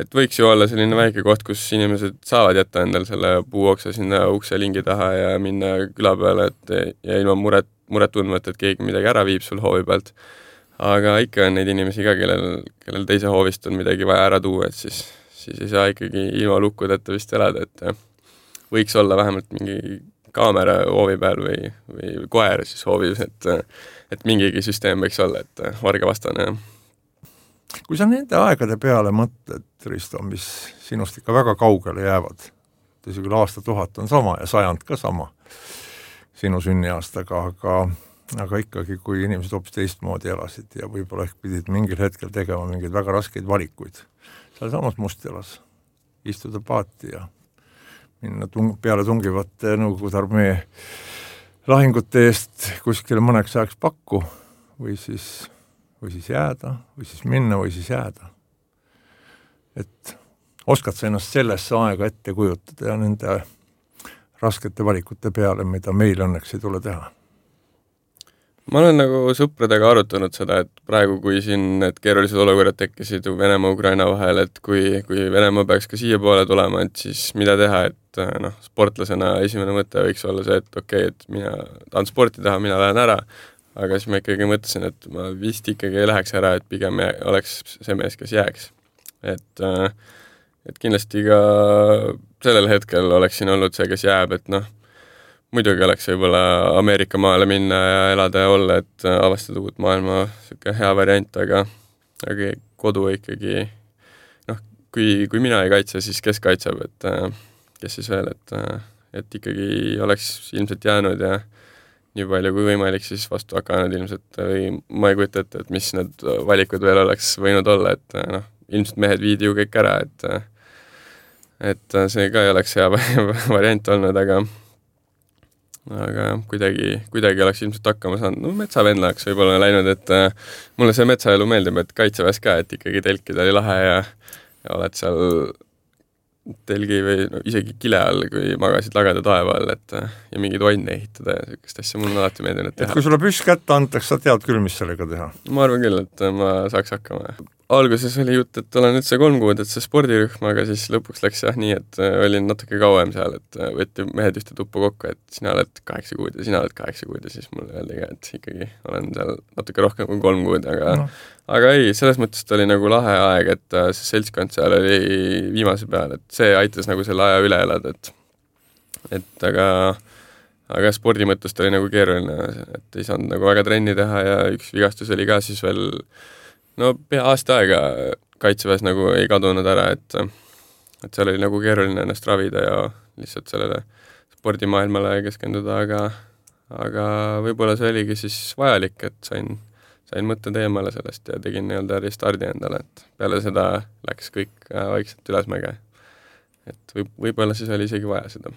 et võiks ju olla selline väike koht, kus inimesed saavad jätta endal selle puuoksa sinna ukse lingi taha ja minna küla peale, et ja ilma muret, muret tundmat, et keegi midagi ära viib sul hoovi pealt. Aga ikka on neid inimesi ka, kellel, kellel teise hoovist on midagi vaja ära tuua, et siis, siis ei saa ikkagi ilma lukkudeta vist elada, et võiks olla vähemalt mingi kaamera hoovi peal või, või koer siis hoovis, et, et mingigi süsteem võiks olla, et varga vastane. Kui sa nende aegade peale mõtled, Risto, mis sinust ikka väga kaugele jäävad, tõsi küll aasta tuhat on sama ja sajand ka sama sinu sünniaastaga, aga aga ikkagi, kui inimesed hoopis teistmoodi elasid ja võib-olla ehk pidid mingil hetkel tegema mingeid väga raskeid valikuid. Seal samas Mustjalas istuda paati ja minna tung, peale tungivate Nõukogude armee lahingute eest kuskile mõneks ajaks pakku või siis, või siis jääda, või siis minna, või siis jääda. Et oskad sa ennast sellesse aega ette kujutada ja nende raskete valikute peale, mida meil õnneks ei tule teha? ma olen nagu sõpradega arutanud seda, et praegu, kui siin need keerulised olukorrad tekkisid Venemaa-Ukraina vahel, et kui, kui Venemaa peaks ka siia poole tulema, et siis mida teha, et noh, sportlasena esimene mõte võiks olla see, et okei okay,, et mina tahan sporti teha, mina lähen ära, aga siis ma ikkagi mõtlesin, et ma vist ikkagi ei läheks ära, et pigem oleks see mees, kes jääks. Et, et kindlasti ka sellel hetkel oleks siin olnud see, kes jääb, et noh, muidugi oleks võib-olla Ameerika maale minna ja elada ja olla, et avastada uut maailma siuke hea variant, aga, aga kodu ikkagi, noh, kui, kui mina ei kaitse, siis kes kaitseb, et kes siis veel, et, et ikkagi oleks ilmselt jäänud ja nii palju kui võimalik siis vastu hakanud ilmselt või ma ei kujuta ette, et mis need valikud veel oleks võinud olla, et noh, ilmselt mehed viidi ju kõik ära, et et see ka ei oleks hea variant olnud, aga aga kuidagi, kuidagi oleks ilmselt hakkama saanud. No metsavenna oleks võib-olla läinud, et äh, mulle see metsaelu meeldib, et kaitseväes ka, et ikkagi telkida oli lahe ja, ja oled seal telgi või no, isegi kile all, kui magasid lageda taeva all, et ja mingeid vanne ehitada ja sellist asja mul on alati meeldinud teha. Et kui sulle püss kätte antakse, sa tead küll, mis sellega teha? Ma arvan küll, et ma saaks hakkama. Alguses oli jutt, et olen üldse kolm kuud, et see spordirühm, aga siis lõpuks läks jah nii, et olin natuke kauem seal, et võeti mehed ühte tuppa kokku, et sina oled kaheksa kuud ja sina oled kaheksa kuud ja siis mulle öeldi ka, et ikkagi olen seal natuke rohkem kui kolm kuud, aga no. Aga ei, selles mõttes oli nagu lahe aeg, et see seltskond seal oli viimase peal, et see aitas nagu selle aja üle elada, et et aga aga spordi mõttest oli nagu keeruline, et ei saanud nagu väga trenni teha ja üks vigastus oli ka siis veel no pea aasta aega kaitseväes nagu ei kadunud ära, et et seal oli nagu keeruline ennast ravida ja lihtsalt sellele spordimaailmale keskenduda, aga aga võib-olla see oligi siis vajalik, et sain sain mõtted eemale sellest ja tegin nii-öelda restardi endale, et peale seda läks kõik vaikselt ülesmäge. Et võib, võib-olla siis oli isegi vaja seda.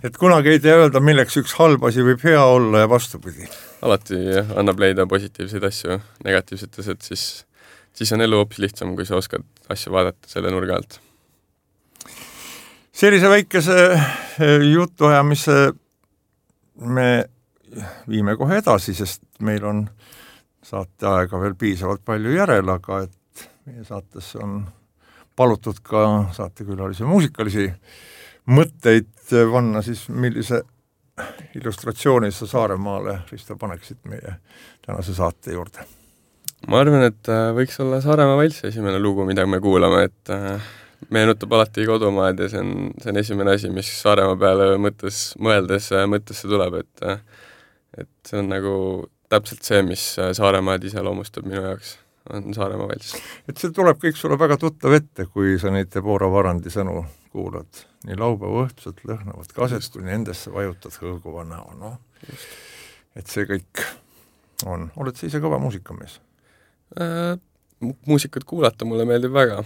Et kunagi ei tea öelda, milleks üks halb asi võib hea olla ja vastupidi. Alati annab leida positiivseid asju negatiivsetes, et siis, siis on elu hoopis lihtsam, kui sa oskad asju vaadata selle nurga alt. Sellise väikese jutuajamise me viime kohe edasi, sest meil on saate aega veel piisavalt palju järel, aga et meie saates on palutud ka saatekülalisi muusikalisi mõtteid vanna, siis millise illustratsiooni sa Saaremaale, Risto, paneksid meie tänase saate juurde? Ma arvan, et võiks olla Saaremaa valss esimene lugu, mida me kuulame, et meenutab alati kodumaad ja see on, see on esimene asi, mis Saaremaa peale mõttes, mõeldes mõttesse tuleb, et, et see on nagu täpselt see, mis Saaremaad iseloomustab minu jaoks, on Saaremaa valss. Et see tuleb kõik sulle väga tuttav ette, kui sa neid Debora Varandi sõnu kuulad. Nii laupäeva õhtused lõhnavad kaset, kui nendesse vajutad hõõguva näo. No? Et see kõik on. Oled sa ise kõva muusikamees? Äh, muusikat kuulata mulle meeldib väga.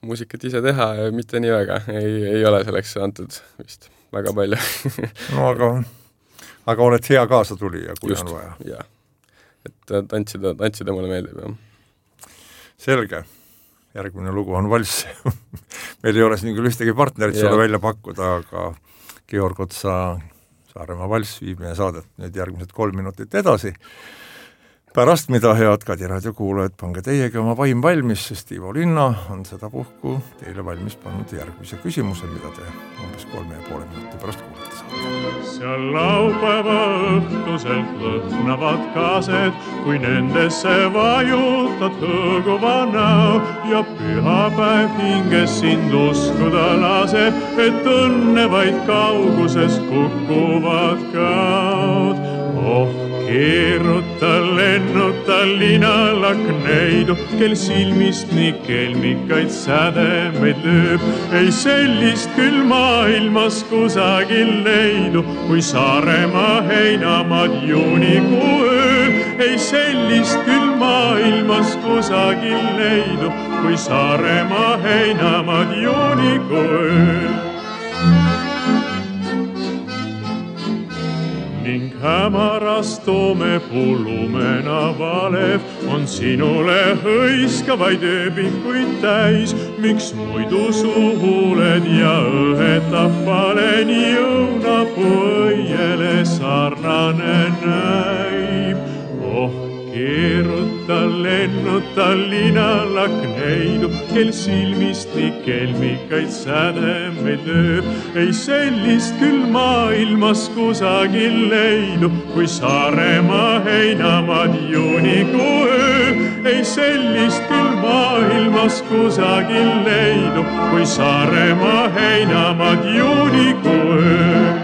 Muusikat ise teha ja mitte nii väga. Ei, ei ole selleks antud vist väga palju. No aga, aga oled hea kaasa tuli ja kui just, on vaja. Jah. Et tantsida, tantsida mulle meeldib. Jah. Selge. Järgmine lugu on valss. Meil ei ole siin küll ühtegi partnerit sulle välja pakkuda, aga Georg Otsa Saaremaa valss viib meie saadet nüüd järgmised kolm minutit edasi. Pärast mida head Kadi raadio kuulajad, pange teiegi oma vaim valmis, sest Ivo Linna on seda puhku teile valmis pannud järgmise küsimuse, mida te umbes kolme ja poole minuti pärast kuulete saate. Seal laupäeva õhtuselt lõhnavad kaased, kui nendesse vajutad hõõguva näo ja pühapäev hinges sind uskuda laseb, et õnne vaid kauguses kukuvad kaod. Oh, keeruta, lennuta linalakneidu, kel silmist nii kelmikaid sädemeid lööb. Ei sellist küll maailmas kusagil leidu, kui Saaremaa heinamaad juunikuu ööl. Ei sellist küll maailmas kusagil leidu, kui Saaremaa heinamaad juunikuu ööl. Ning hämaras toomepuu lumena valev on sinule hõiskavaid ööbikuid täis. Miks muidu suhuled ja õhetab paleni õunapuu õiele sarnane näib? keeruta, lennuta linalakneidu, kel silmist nii kelmikaid sädemeid lööb. Ei sellist küll maailmas kusagil leidu, kui Saaremaa heinamaad juunikuu öö. Ei sellist küll maailmas kusagil leidu, kui Saaremaa heinamaad juunikuu öö.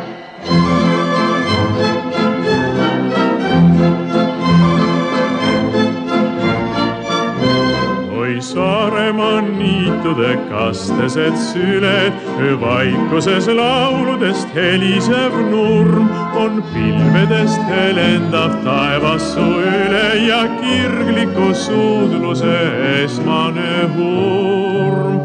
Saaremaa niitude kastesed süled, öövaikuses lauludest helisev nurm on pilvedest helendav taevassu üle ja kirgliku suudluse esmane hurm.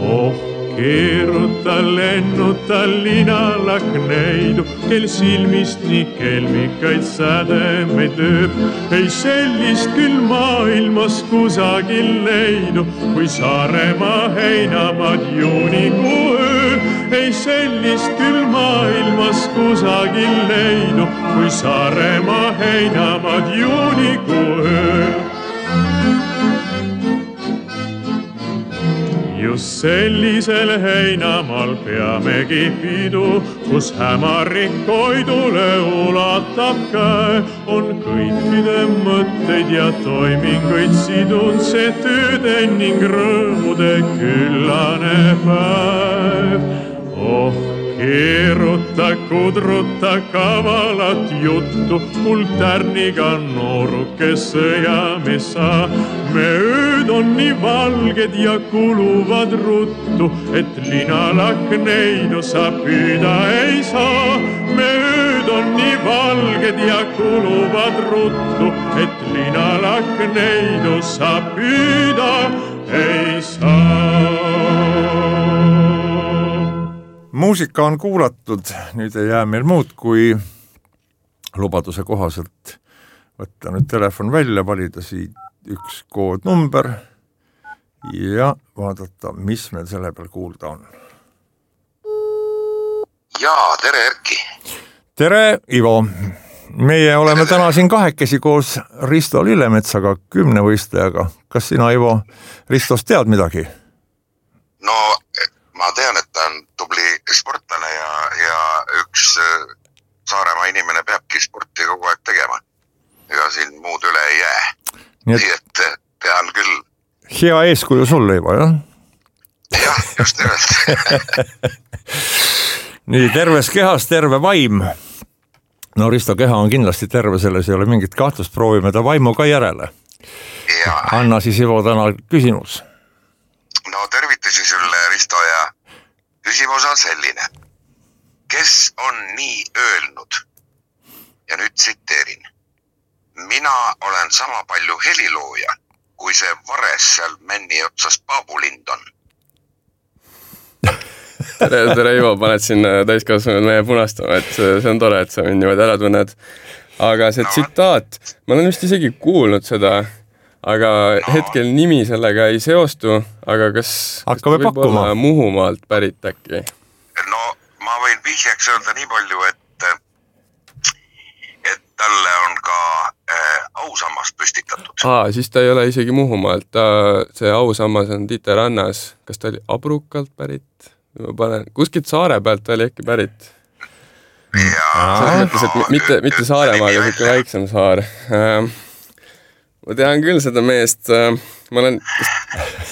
Oh, keeruta, lennuta linalakneidu, kel silmist nii kelmikaid sädemeid lööb. Ei sellist küll maailmas kusagil leidu, kui Saaremaa heinamaad juunikuu öö. Ei sellist küll maailmas kusagil leidu, kui Saaremaa heinamaad juunikuu öö. Just sellisel heinamaal peamegi pidu, kus hämarik koidule ulatab käe. On kõikide mõtteid ja toiminguid sidun see tööde ning rõõmude küllane päev. Oh, keeruta, kudruta kavalat juttu, mul tärniga nooruke sõjamees sa. Me ööd on nii valged ja kuluvad ruttu, et linalakneidu sa püüda ei saa. Me ööd on nii valged ja kuluvad ruttu, et linalakneidu sa püüda ei saa. Muusika on kuulatud, nüüd ei jää meil muud kui lubaduse kohaselt võtta nüüd telefon välja, valida siit üks koodnumber ja vaadata, mis meil selle peal kuulda on. Jaa, tere Erki! Tere, Ivo! Meie oleme tere. Täna siin kahekesi koos Risto Lillemetsaga, kümnevõistlejaga. Kas sina, Ivo, Ristost tead midagi? No, ma tean, et ta on tubli sportlane ja, ja üks Saaremaa inimene peabki sporti kogu aeg tegema. Ega siin muud üle ei jää. Nii et, Nii et tean küll. Hea eeskuju sulle, Ivo, jah? Jah, just nimelt. Nii, terves kehas, terve vaim. No Risto keha on kindlasti terve, selles ei ole mingit kahtlust, proovime ta vaimu ka järele. Ja. Anna siis, Ivo, täna küsimus. No tervitusi sulle, Risto, ja küsimus on selline. Kes on nii öelnud? Ja nüüd tsiteerin. Mina olen sama palju helilooja, kui see vares seal männi otsas Paabulind on. tere, tere Ivo, paned siin täiskasvanud meie punastama, et see on tore, et sa mind niimoodi ära tunned. Aga see no. tsitaat, ma olen vist isegi kuulnud seda, aga no. hetkel nimi sellega ei seostu, aga kas, kas võib pakkuma? Olla Muhumaalt pärit äkki? No ma võin vihjaks öelda nii palju, et et talle on ka äh, ausammas püstitatud. Aa, siis ta ei ole isegi Muhumaalt, ta, see ausammas on Tiite rannas. Kas ta oli Abrukalt pärit? Ma panen, kuskilt Saare pealt ta oli äkki pärit. Jaa. Mõttes, et mitte, mitte Saaremaaga, siuke väiksem saar. Ma tean küll seda meest, ma olen,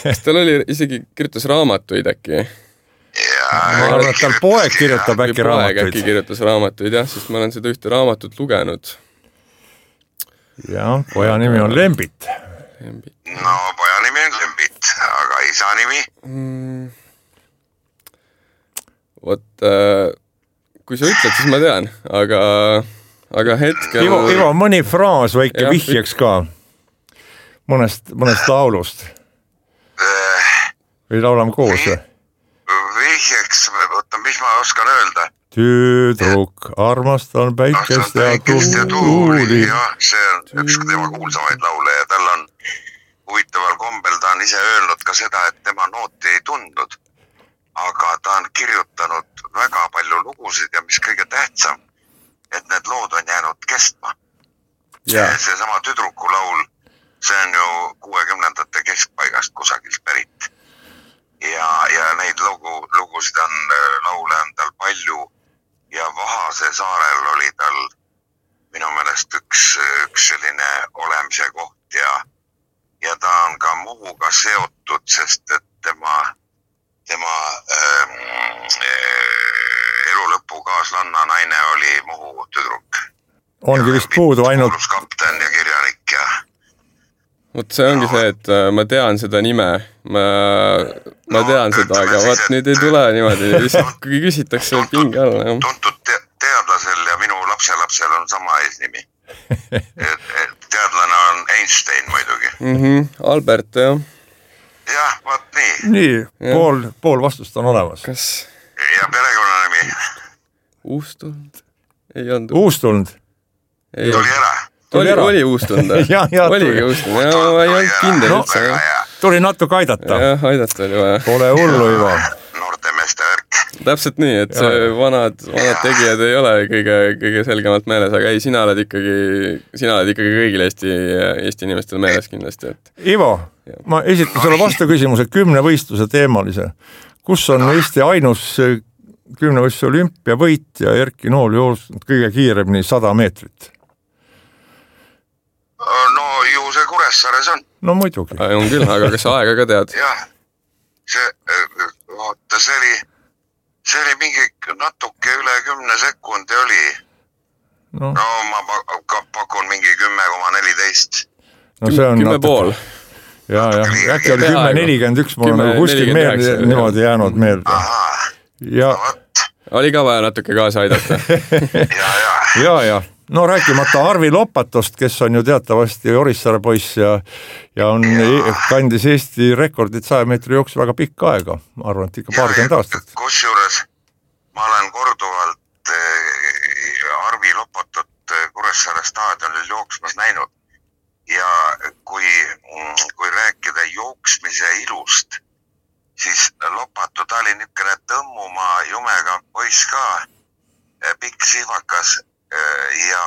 kas tal oli isegi kirjutas raamatuid äkki? Ma arvan, et tal poeg kirjutab äkki raamatuid. Poeg äkki kirjutas raamatuid, jah, sest ma olen seda ühte raamatut lugenud. Jah, poja nimi on Lembit. Lembit. No, poja nimi on Lembit, aga isa nimi? Mm. Vot, äh, kui sa ütled, siis ma tean, aga, aga hetkel... Ivo, Ivo, mõni fraas väike ja, vihjeks ka mõnest, mõnest laulust. Või laulame koos või? Vihjeks, võtta, mis ma oskan öelda? Tüdruk, armastan päikest ja tuuli. Jah, see on üks tema kuulsamaid laule ja tal on huvitaval kombel, ta on ise öelnud ka seda, et tema nooti ei tundnud, aga ta on kirjutanud väga palju lugusid ja mis kõige tähtsam, et need lood on jäänud kestma. Yeah. see sama tüdruku laul, see on ju kuuekümnendate keskpaigast kusagilt pärit. Ja, ja neid lugu, lugusid on, laule on tal palju ja Vahase saarel oli tal minu meelest üks, üks selline olemise koht ja, ja ta on ka Muhuga seotud, sest et tema, tema ähm, elu lõpu kaaslanna naine oli Muhu tüdruk. Ongi vist puudu ainult... kapten ja kirjanik ja... Vot see ongi no, see, et ma tean seda nime, ma, ma no, tean seda, aga vaat nüüd ei tule niimoodi, lihtsalt kui küsitakse tuntud, pinge alla. Tuntud te- teadlasel ja minu lapselapsel on sama eesnimi. et, et teadlane on Einstein muidugi. Mm-hmm, Albert, jah. Jah, vaat nii. Nii, ja. pool, pool vastust on olemas. Kas? Ja perekonnanimi? Uustund? Ei olnud. Uustund? Ei. Tuli ära. Oli, oli uustund, ja, ja, oligi uustund, ja ma ei olnud kindel no, üldse. Tuli natuke aidata. Jah, aidata oli vaja. Pole hullu, Ivo. Noorte meeste värk. Täpselt nii, et see vanad, vanad tegijad ei ole kõige, kõige selgemalt meeles, aga ei, sina oled ikkagi, sina oled ikkagi kõigil Eesti, Eesti inimestel meeles kindlasti. Et... Ivo, ja. Ma esitan sulle vastu küsimuse kümne võistluse teemalise. Kus on no. Eesti ainus kümne võistluse olümpiavõit ja Erki Nool joostnud kõige kiiremini sada meetrit? No ju see Kuressaares on. No muidugi. On küll, aga kas aega ka tead? Jah, see, vaata, see oli, see oli mingi natuke üle kümne sekundi oli. No, no ma pakun mingi kümme koma neliteist. No see on kümme natuke... pool. Ja, ja, äkki oli kümme nelikümmend üks, mul on nagu kuskil meelde niimoodi jäänud meelde. Ja... No, oli ka vaja natuke kaasa aidata. ja, ja. ja, ja. No rääkimata Arvi Lopatost, kes on ju teatavasti Orissaare poiss ja, ja on ja. kandis Eesti rekordit saja meetri jooksu väga pikka aega. Ma arvan, et ikka paarkümmend aastat. Kusjuures ma olen korduvalt Arvi Lopatot Kuressaare staadionil jooksmas näinud ja kui, kui rääkida jooksmise ilust, siis Lopato, ta oli niisugune tõmmuma jumega poiss ka, pikk sihvakas ja,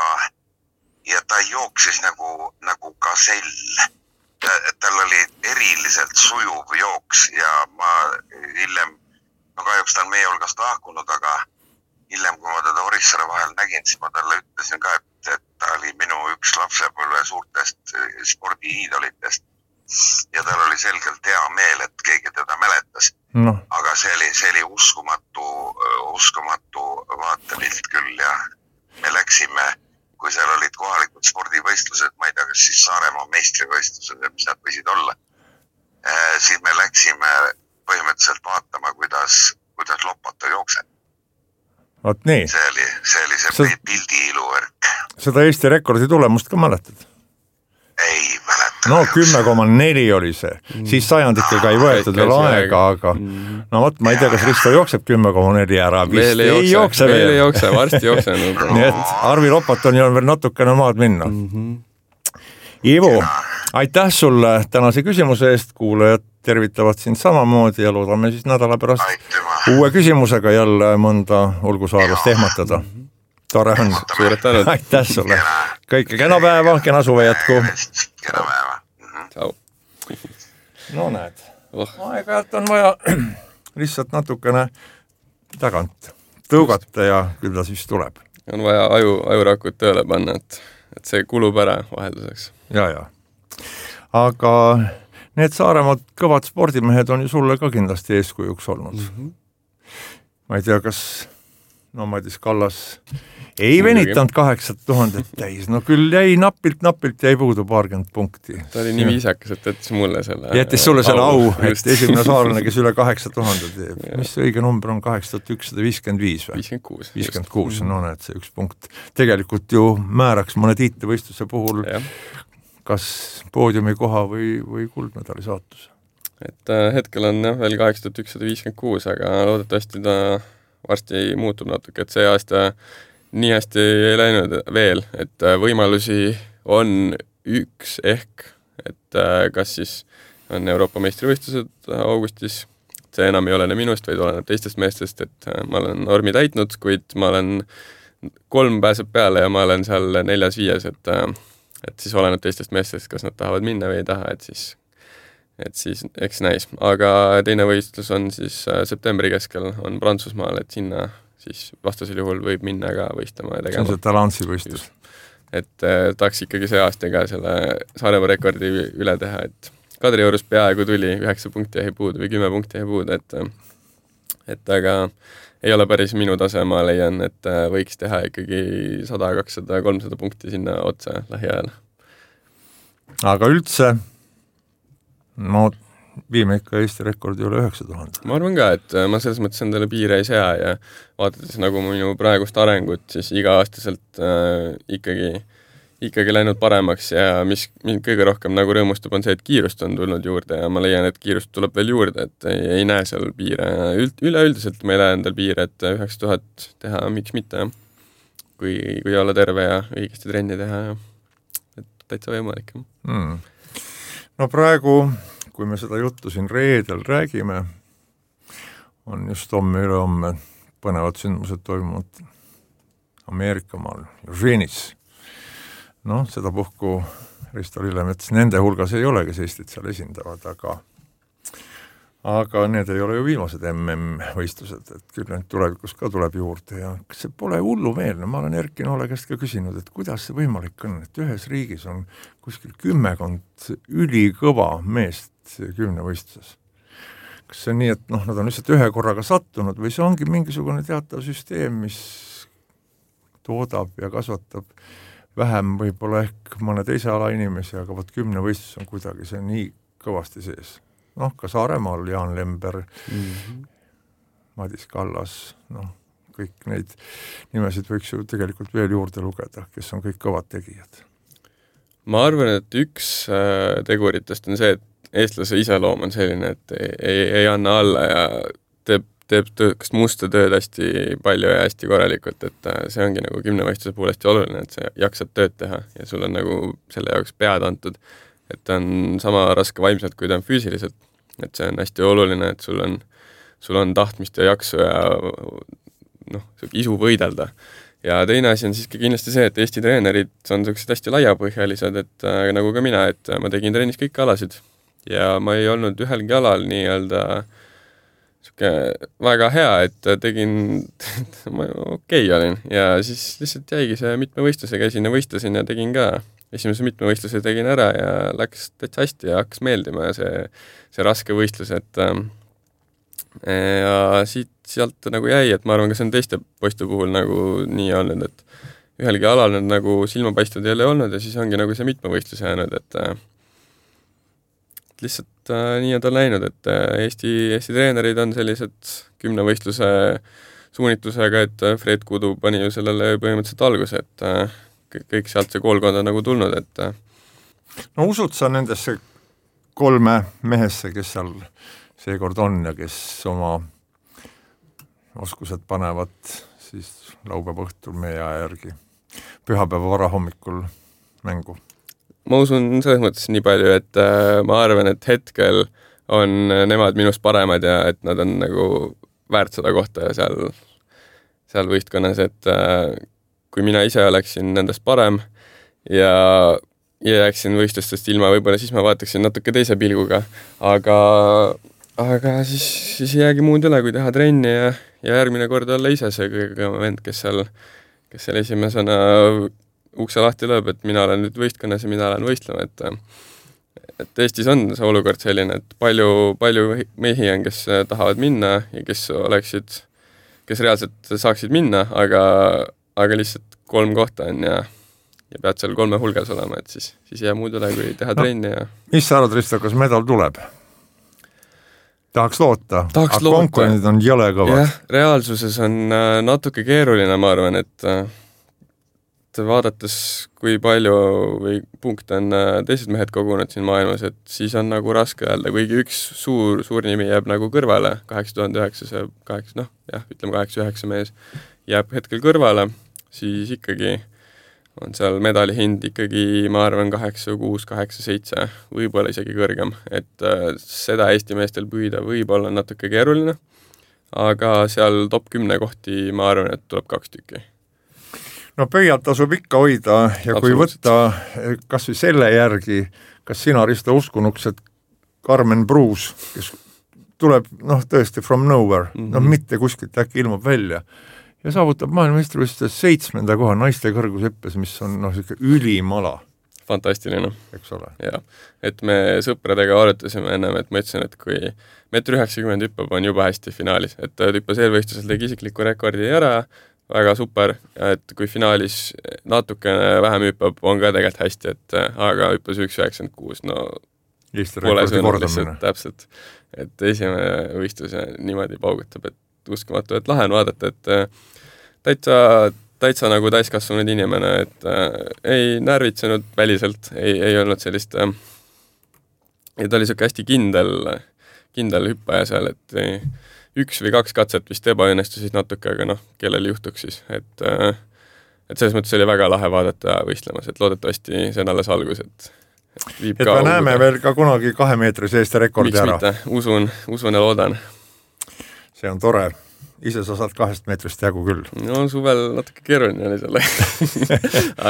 ja ta jooksis nagu, nagu gasell. Tal oli eriliselt sujuv jooks ja ma hiljem, no kahjuks ta on meie hulgast lahkunud, aga hiljem, kui ma teda Orissaare vahel nägin, siis ma talle ütlesin ka, et, et ta oli minu üks lapsepõlve suurtest spordiiidolitest ja tal oli selgelt hea meel, et keegi teda mäletas. No. Aga see oli, see oli uskumatu, uskumatu vaatepilt küll ja me läksime, kui seal olid kohalikud spordivõistlused, ma ei tea, kas siis Saaremaa meistrivõistlused, mis nad võisid olla, eh, siis me läksime põhimõtteliselt vaatama, kuidas, kuidas Lopato jookseb. Vaat nii. See oli see, oli see Seda... pildi iluvärk. Seda Eesti rekordi tulemust ka mäletad? Ei mäleta. No kümme koma neli oli see. Mm. Siis sajandikega ei võetud veel aega, aga mm. no võt, ma ei tea, kas Risto jookseb kümme koma neli ära. Veel ei jookse, ei jookse veel. Veel ei jookse, varsti jookse. Nii et Arvi Lopatoni on veel natukene maad minna. Mm-hmm. Ivo, aitäh sulle tänase küsimuse eest, kuulajad tervitavad sind samamoodi ja loodame siis nädala pärast Aitüma. Uue küsimusega jälle mõnda olgusaarest ehmatada. Tore on. Suured tänud. Aitäh sulle. Kõike kena päeva, kena suve jätku. Kena päeva. Tšau. No näed. Oh. Aeg-ajalt on vaja lihtsalt natukene tagant tõugata ja küll ta siis tuleb. On vaja aju, ajurakud tööle panna, et, et see kulub ära vahelduseks. Ja, ja. Aga need Saaremaad kõvad spordimehed on ju sulle ka kindlasti eeskujuks olnud. Mm-hmm. Ma ei tea, kas no Madis Kallas ei venitanud kaheksat tuhandet täis, no küll jäi napilt, napilt jäi puudu paarkümmend punkti. Ta oli nii viisakas, et jättis mulle selle jättis sulle selle au, au et esimene saarlane, kes üle kaheksa tuhandet teeb. Mis õige number on kaheksa tuhat ükssada viiskümmend viis või? viiskümmend kuus. viiskümmend kuus, no näed, see üks punkt. Tegelikult ju määraks mõne tiitlivõistluse puhul ja. Kas poodiumi koha või, või kuldmedali saatus. Et äh, hetkel on jah, veel kaheksa tuhat ükssada viiskümmend kuus, aga loodetavasti ta varsti muutub natuke, et see aasta nii hästi ei läinud veel, et võimalusi on üks ehk, et kas siis on Euroopa meistrivõistlused augustis, see enam ei olene minust, vaid oleneb teistest meestest, et ma olen normi täitnud, kuid ma olen kolm pääseb peale ja ma olen seal neljas viies, et, et siis oleneb teistest meestest, kas nad tahavad minna või ei taha, et siis, et siis eks näis. Aga teine võistlus on siis septembri keskel, on Prantsusmaal, et sinna siis vastasel juhul võib minna ka võistlema ja tegema. See on see Talansi võistlus. Et eh, tahaks ikkagi see aasta ka selle Saaremaa rekordi üle teha, et Kadriorus peaaegu tuli, üheksa punkti jäi puudu või kümme punkti jäi puudu, et et aga ei ole päris minu tase, ma leian, et võiks teha ikkagi sada, kakssada, kolmsada punkti sinna otsa lähiajal. Aga üldse, no viime ikka Eesti rekordi üle üheksa tuhande. Ma arvan ka, et ma selles mõttes endale piire ei sea ja vaadates nagu minu praegust arengut, siis iga-aastaselt äh, ikkagi, ikkagi läinud paremaks ja mis mind kõige rohkem nagu rõõmustab on see, et kiirust on tulnud juurde ja ma leian, et kiirust tuleb veel juurde, et ei, ei näe seal piire. Üld, üleüldiselt ma ei näe endal piire, et üheksa tuhat teha, miks mitte, kui, kui olla terve ja õigesti trenni teha ja et täitsa võimalik. Hmm. No praegu kui me seda juttu siin reedel räägime, on just homme ülehomme põnevad sündmused toimunud Ameerikamaal, Eugenis. Noh, seda puhku Risto Lillemets nende hulgas ei ole, kes Eestit seal esindavad, aga aga need ei ole ju viimased M M-võistlused, et küll nüüd tulevikus ka tuleb juurde ja kas see pole hullumeelne, ma olen Erki Noole käest ka küsinud, et kuidas see võimalik on, et ühes riigis on kuskil kümmekond ülikõva meest kümnevõistluses. Kas see on nii, et noh, nad on lihtsalt ühe korraga sattunud või see ongi mingisugune teatav süsteem, mis toodab ja kasvatab vähem võib-olla ehk mõne teise ala inimesi, aga võt kümnevõistlus on kuidagi see nii kõvasti sees. Noh, ka Saaremaal Jaan Lember, mm-hmm. Madis Kallas, noh, kõik neid nimesid võiks ju tegelikult veel juurde lugeda, kes on kõik kõvad tegijad. Ma arvan, et üks teguritest on see, et eestlase iseloom on selline, et ei, ei, ei anna alla ja teeb, teeb töö, kas musta tööd hästi palju ja hästi korralikult, et see ongi nagu kümnevõistluse puhul hästi oluline, et sa jaksad tööd teha ja sul on nagu selle jaoks pead antud, et ta on sama raske vaimselt, kui ta on füüsiliselt, et see on hästi oluline, et sul on, sul on tahtmist ja jaksu ja noh, isu võidelda. Ja teine asi on siiski kindlasti see, et Eesti treenerid on sellised hästi laiapõhjalised, et äh, nagu ka mina, et ma tegin trennis kõik alasid ja ma ei olnud ühelgi alal nii-öelda siuke väga hea, et tegin, ma okei okay olin ja siis lihtsalt jäigi see mitme võistluse, käisin ja võistlesin ja tegin ka. Esimese mitme võistluse tegin ära ja läks täitsa hästi ja hakkas meeldima ja see, see raske võistlus, et ja siit, sealt nagu jäi, et ma arvan, ka see on teiste poiste puhul nagu nii olnud, et ühelgi alal need nagu silmapaistvad ei ole olnud ja siis ongi nagu see mitme võistluse jäänud, et lihtsalt nii on ta läinud, et Eesti, Eesti treenerid on sellised kümne võistluse suunitusega, et Fred Kudu pani ju sellele põhimõtteliselt alguse, et kõik sealt see koolkond on nagu tulnud, et no usud sa nendesse kolme mehesse, kes seal seekord on ja kes oma oskused panevad siis laupäeva õhtul meie aja järgi pühapäeva varahommikul mängu? Ma usun selles mõttes nii palju, et äh, ma arvan, et hetkel on nemad minust paremad ja et nad on nagu väärt seda kohta ja seal, seal võistkonnas, et äh, kui mina ise oleksin nendest parem ja, ja jääksin võistlustest ilma, võib-olla siis ma vaataksin natuke teise pilguga, aga, aga siis, siis ei jäägi muud üle, kui teha trenni ja, ja järgmine kord olla ise see kõige vend, kes seal, kes seal esimesena ukse lahti lööb, et mina olen nüüd võistkonnas ja mina olen võistlema, et, et Eestis on see olukord selline, et palju, palju mehi on, kes tahavad minna ja kes oleksid, kes reaalselt saaksid minna, aga aga lihtsalt kolm kohta on ja, ja pead seal kolme hulgas olema, et siis, siis jää muud üle, kui teha no, trenni ja mis sa arvad, Risto, kas medal tuleb? Tahaks loota, Tahaks aga konkurendid on jõle kõvad. Jah, reaalsuses on äh, natuke keeruline, ma arvan, et, et vaadates, kui palju või punkt on äh, teised mehed kogunud siin maailmas, et siis on nagu raske öelda, kuigi üks suur, suur nimi jääb nagu kõrvale, kaheksa tuhande üheksasaja, kaheksa, noh, jah, ütleme kaheksa üheksa mees jääb hetkel kõrvale, siis ikkagi on seal medali hind ikkagi, ma arvan, kaheksa kuus, kaheksa seitse, võib-olla isegi kõrgem. Et äh, seda Eesti meestel püüda võib-olla natuke keeruline, aga seal top kümne kohti, ma arvan, et tuleb kaks tükki. no pöialt tasub ikka hoida ja kui võtta kas või selle järgi, kas sina, Risto, uskunuks, et Carmen Bruus, kes tuleb noh tõesti from nowhere, mm -hmm. noh mitte kuskilt äkki ilmub välja ja saavutab maailmameistrivõistluses seitsmenda koha naiste kõrgushüppes, mis on noh, ülimala. Fantastiline. Eks ole. Ja, et me sõpradega arutasime ennem, et ma ütlesin, et kui meeter üheksakümmend hüppab, on juba hästi finaalis, et ta hüppas eelvõistlusel tegi isikliku rekordi ära, väga super, et kui finaalis natukene vähem hüppab, on ka tegelikult hästi, et aga hüppas üks üheksakümmend kuus, no Eesti pole sõnum lihtsalt täpselt, et esimene võistlus niimoodi paugutab, et uskumatu, et lahe on vaadata, et täitsa, täitsa nagu täiskasvanud inimene, et äh, ei närvitsenud väliselt, ei, ei olnud sellist äh, ja ta oli siuke hästi kindel, kindel hüppaja seal, et ei, üks või kaks katset vist ebaõnnestusid natuke, aga noh, kellel juhtuks siis, et äh, et selles mõttes oli väga lahe vaadata võistlemas, et loodetavasti see on alles algus, et et, et me näeme veel ka kunagi kahe meetri seest rekordi ära. Miks mitte, usun, usun ja loodan. See on tore. Ise sa saad kahest meetrist jagu küll. No suvel natuke keeruline oli selle.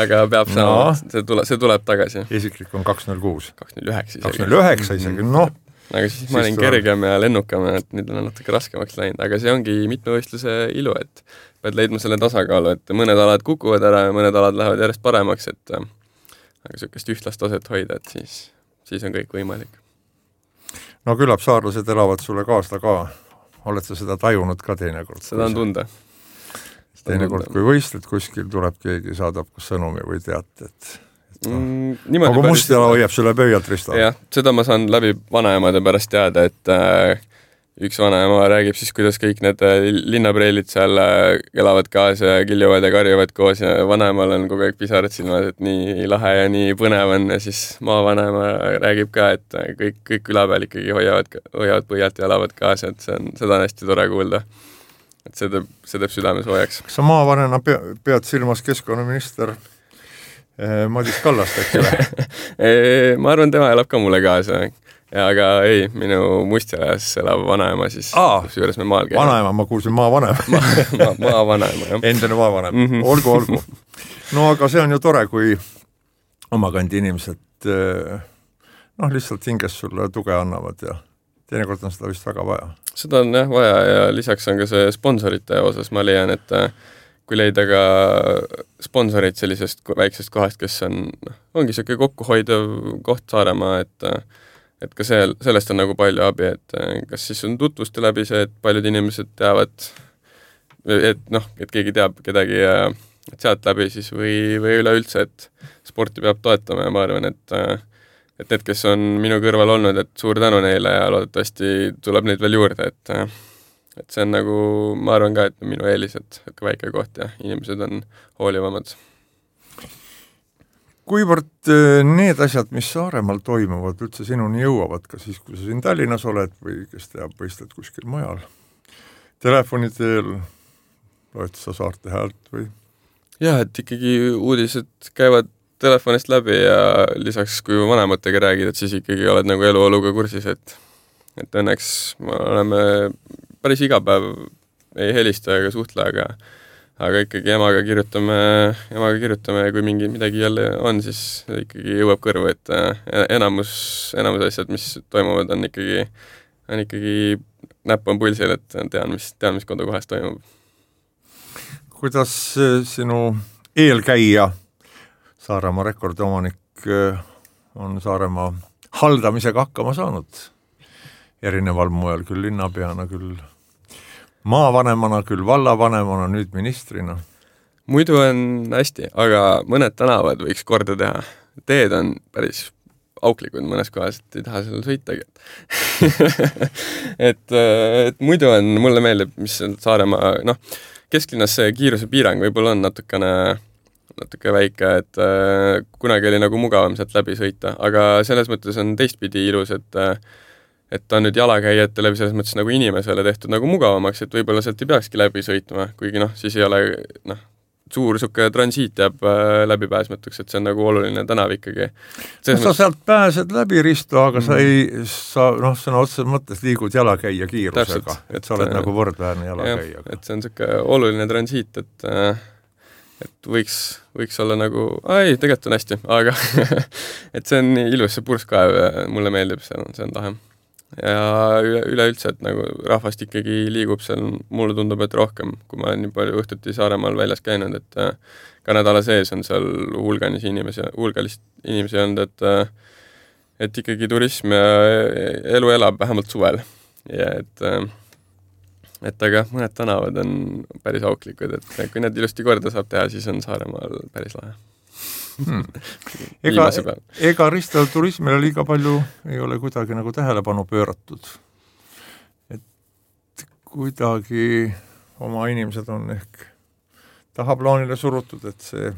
aga peab no. saama, see, tule, see tuleb tagasi. Isiklik on kaks null kuus. kaks null üheksa isegi. kaks null üheksa isegi, noh. Aga siis, siis ma olin kergem ja lennukam, et nüüd on natuke raskemaks läinud, aga see ongi mitmevõistluse ilu, et pead leidma selle tasakaalu, et mõned alad kukuvad ära ja mõned alad lähevad järjest paremaks, et aga sellist ühtlast taset hoida, et siis, siis on kõik võimalik. No küllap saarlased elavad sulle kaasla ka. Oled sa seda tajunud ka teinekord? Seda on tunda. Teinekord, kui võistled kuskil, tuleb keegi, saadab sõnumi või teate, et, et no. mm, aga Mustjala hoiab sulle pöialt, Risto. Jah, seda ma saan läbi vanaemade pärast teada, et äh, üks vanaema räägib siis, kuidas kõik need linnapreilid seal elavad kaas ja kiljuvad ja karjuvad koos ja vanaemal on kogu aeg pisarad silmas, et nii lahe ja nii põnev on ja siis maavanaema räägib ka, et kõik, kõik küla peal ikkagi hoiavad, hoiavad põhjalt ja elavad kaas, et see on, seda on hästi tore kuulda. Et see teeb, see teeb südames hoiaks. Kas sa maavanena pead silmas keskkonnaminister eh, Madis Kallast äkki või? Ma arvan, tema elab ka mulle kaasa. Ja, aga ei, minu Mustjalas elab vanaema siis, kus juures me maal käime. Vanaema, ma kuulsin maavanaema. ma, ma, maavanaema, jah. Endine maavanaema, mm -hmm. olgu, olgu. No aga see on ju tore, kui omakandi inimesed noh, lihtsalt hinges sulle tuge annavad ja teinekord on seda vist väga vaja. Seda on jah vaja ja lisaks on ka see sponsorite osas, ma leian, et kui leida ka sponsorid sellisest väiksest kohast, kes on, ongi selline kokkuhoidev koht Saaremaa, et et ka see, sellest on nagu palju abi, et kas siis on tutvuste läbi see, et paljud inimesed teavad, et noh, et keegi teab kedagi ja et sealt läbi siis või, või üleüldse, et sporti peab toetama ja ma arvan, et et need, kes on minu kõrval olnud, et suur tänu neile ja loodetavasti tuleb neid veel juurde, et et see on nagu, ma arvan ka, et minu eelis, et ka väike koht ja inimesed on hoolivamad. Kuivõrd need asjad, mis Saaremaal toimuvad, üldse sinuni jõuavad, ka siis, kui sa siin Tallinnas oled või kes teab, võistled kuskil mujal, telefoni teel, loed sa Saarte Häält või? Jah, et ikkagi uudised käivad telefonist läbi ja lisaks, kui vanematega räägid, et siis ikkagi oled nagu eluoluga kursis, et et õnneks me oleme päris iga päev ei helista ega suhtle, aga aga ikkagi emaga kirjutame, emaga kirjutame ja kui mingi midagi jälle on, siis ikkagi jõuab kõrvu, et enamus, enamus asjad, mis toimuvad, on ikkagi, on ikkagi näpp on pulsil, et tean, mis, tean, mis kodukohas toimub. Kuidas sinu eelkäija, Saaremaa rekordiomanik, on Saaremaa haldamisega hakkama saanud? Erineval moel, küll linnapeana, küll maavanemana, küll vallavanemana, nüüd ministrina. Muidu on hästi, aga mõned tänavad võiks korda teha. Teed on päris auklikud mõnes kohas, et ei taha seal sõitagi. et, et muidu on, mulle meeldib, mis on Saaremaa, noh, kesklinnas see kiiruse piirang võib-olla on natukene, natuke väike, et äh, kunagi oli nagu mugavam sealt läbi sõita, aga selles mõttes on teistpidi ilus, et äh, et ta on nüüd jalakäijate läbi selles mõttes nagu inimesele tehtud nagu mugavamaks, et võib-olla sealt ei peakski läbi sõitma, kuigi noh, siis ei ole noh, suur suke transiit jääb äh, läbipääsmatuks, et see on nagu oluline tänav ikkagi. No, sa sealt pääsed läbi, Risto, aga mm. sa ei, sa noh, sõna otseses mõttes liigud jalakäija kiirusega, et sa oled et, nagu võrdväärne jalakäija. Et see on suke oluline transiit, et äh, et võiks, võiks olla nagu, ei, tegelikult on hästi, aga et see on nii ilus, see purskkaev ja mulle meeldib, see on, see on tahe. Ja üle, üleüldse, et nagu rahvast ikkagi liigub seal, mulle tundub, et rohkem, kui ma olen nii palju õhtuti Saaremaal väljas käinud, et ka nädala sees on seal hulganis inimesi, hulgalist inimesi olnud, et, et ikkagi turism ja elu elab vähemalt suvel. Ja et, et aga mõned tänavad on päris auklikud, et kui need ilusti korda saab teha, siis on Saaremaal päris lahe. Hmm. Ega, ega Risto turismile liiga palju ei ole kuidagi nagu tähelepanu pööratud. Et kuidagi oma inimesed on ehk tahaplaanile surutud, et see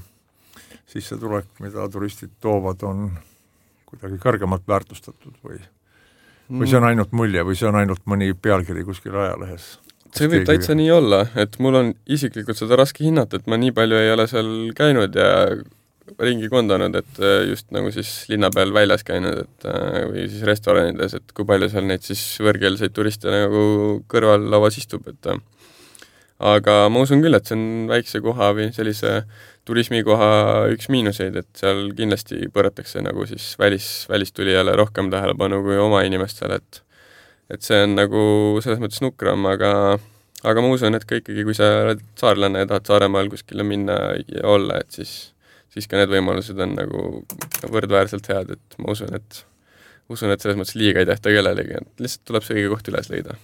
sissetulek, mida turistid toovad, on kuidagi kõrgemalt väärtustatud või, või see on ainult mulje või see on ainult mõni pealkiri kuskil ajalehes. See võib täitsa nii olla, et mul on isiklikult seda raske hinnata, et ma nii palju ei ole seal käinud ja ringi kondanud, et just nagu siis linna peal väljas käinud, et või siis restoranides, et kui palju seal neid siis võõrkeelseid turiste nagu kõrval lauas istub, et aga ma usun küll, et see on väikse koha või sellise turismikoha üks miinuseid, et seal kindlasti põratakse nagu siis välis, välistulijale rohkem tähelepanu kui oma inimestele, et et see on nagu selles mõttes nukram, aga aga ma usun, et ka ikkagi, kui sa oled saarlane ja tahad Saaremaal kuskile minna ja olla, et siis siis ka need võimalused on nagu võrdväärselt head, et ma usun, et usun, et selles mõttes liiga ei tehta kellelegi, et lihtsalt tuleb see õige koht üles leida.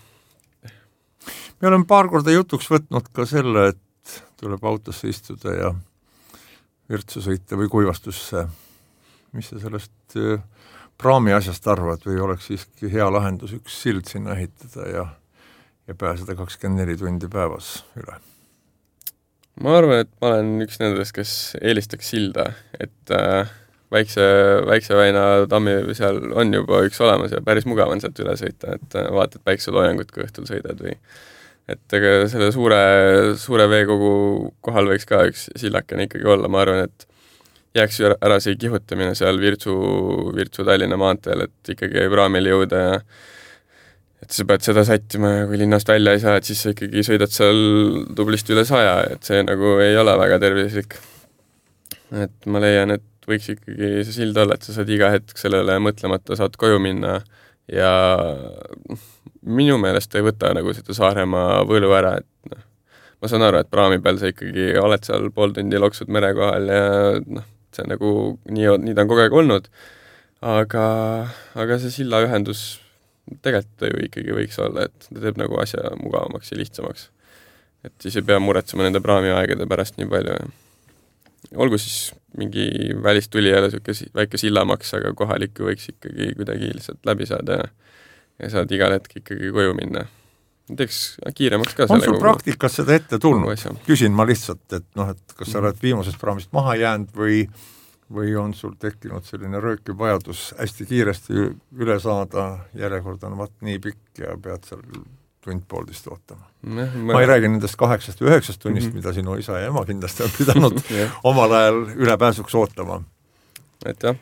Me oleme paar korda jutuks võtnud ka selle, et tuleb autosse istuda ja Virtsu sõita või Kuivastusse. Mis sa sellest praami asjast arvad või oleks siiski hea lahendus üks sild sinna ehitada ja, ja pääseda kakskümmend neli tundi päevas üle? Ma arvan, et ma olen üks nendest, kes eelistaks silda, et äh, väikse, väikse väina tammi seal on juba üks olemas ja päris mugav on sealt üle sõita, et äh, vaatad päikseloojangut, kui õhtul sõidad või et ega selle suure, suure veekogu kohal võiks ka üks sillakene ikkagi olla, ma arvan, et jääks ära see kihutamine seal Virtsu, Virtsu Tallinna maanteel, et ikkagi praamil jõuda ja et sa pead seda sättima ja kui linnast välja ei saa, et siis sa ikkagi sõidad seal tublisti üle saja, et see nagu ei ole väga tervislik. Et ma leian, et võiks ikkagi see sild olla, et sa saad iga hetk sellele mõtlemata saad koju minna ja minu meelest ei võta nagu seda Saaremaa võlu ära, et noh, ma saan aru, et praami peal sa ikkagi oled seal pool tundi loksud mere kohal ja noh, see nagu nii, nii ta on kogu aeg olnud, aga, aga see silla ühendus tegelikult ju ikkagi võiks olla, et ta teeb nagu asja mugavamaks ja lihtsamaks. Et siis ei pea muretsema nende praamiaegade pärast nii palju. Olgu siis mingi välistulijale siuke väike sillamaks, aga kohalik võiks ikkagi kuidagi lihtsalt läbi saada ja, ja saad igal hetk ikkagi koju minna. Teeks kiiremaks ka. On sul praktikas seda ette tulnud? Küsin ma lihtsalt, et noh, et kas sa oled viimasest praamist maha jäänud või või on sul tekkinud selline röökiv vajadus hästi kiiresti üle saada, järjekord on vaat nii pikk ja pead seal tund-pooltist ootama. Ma... ma ei räägi nendest kaheksast või üheksast tunnist, mm-hmm. mida sinu isa ja ema kindlasti on pidanud omal ajal ülepääsuks ootama. Et jah,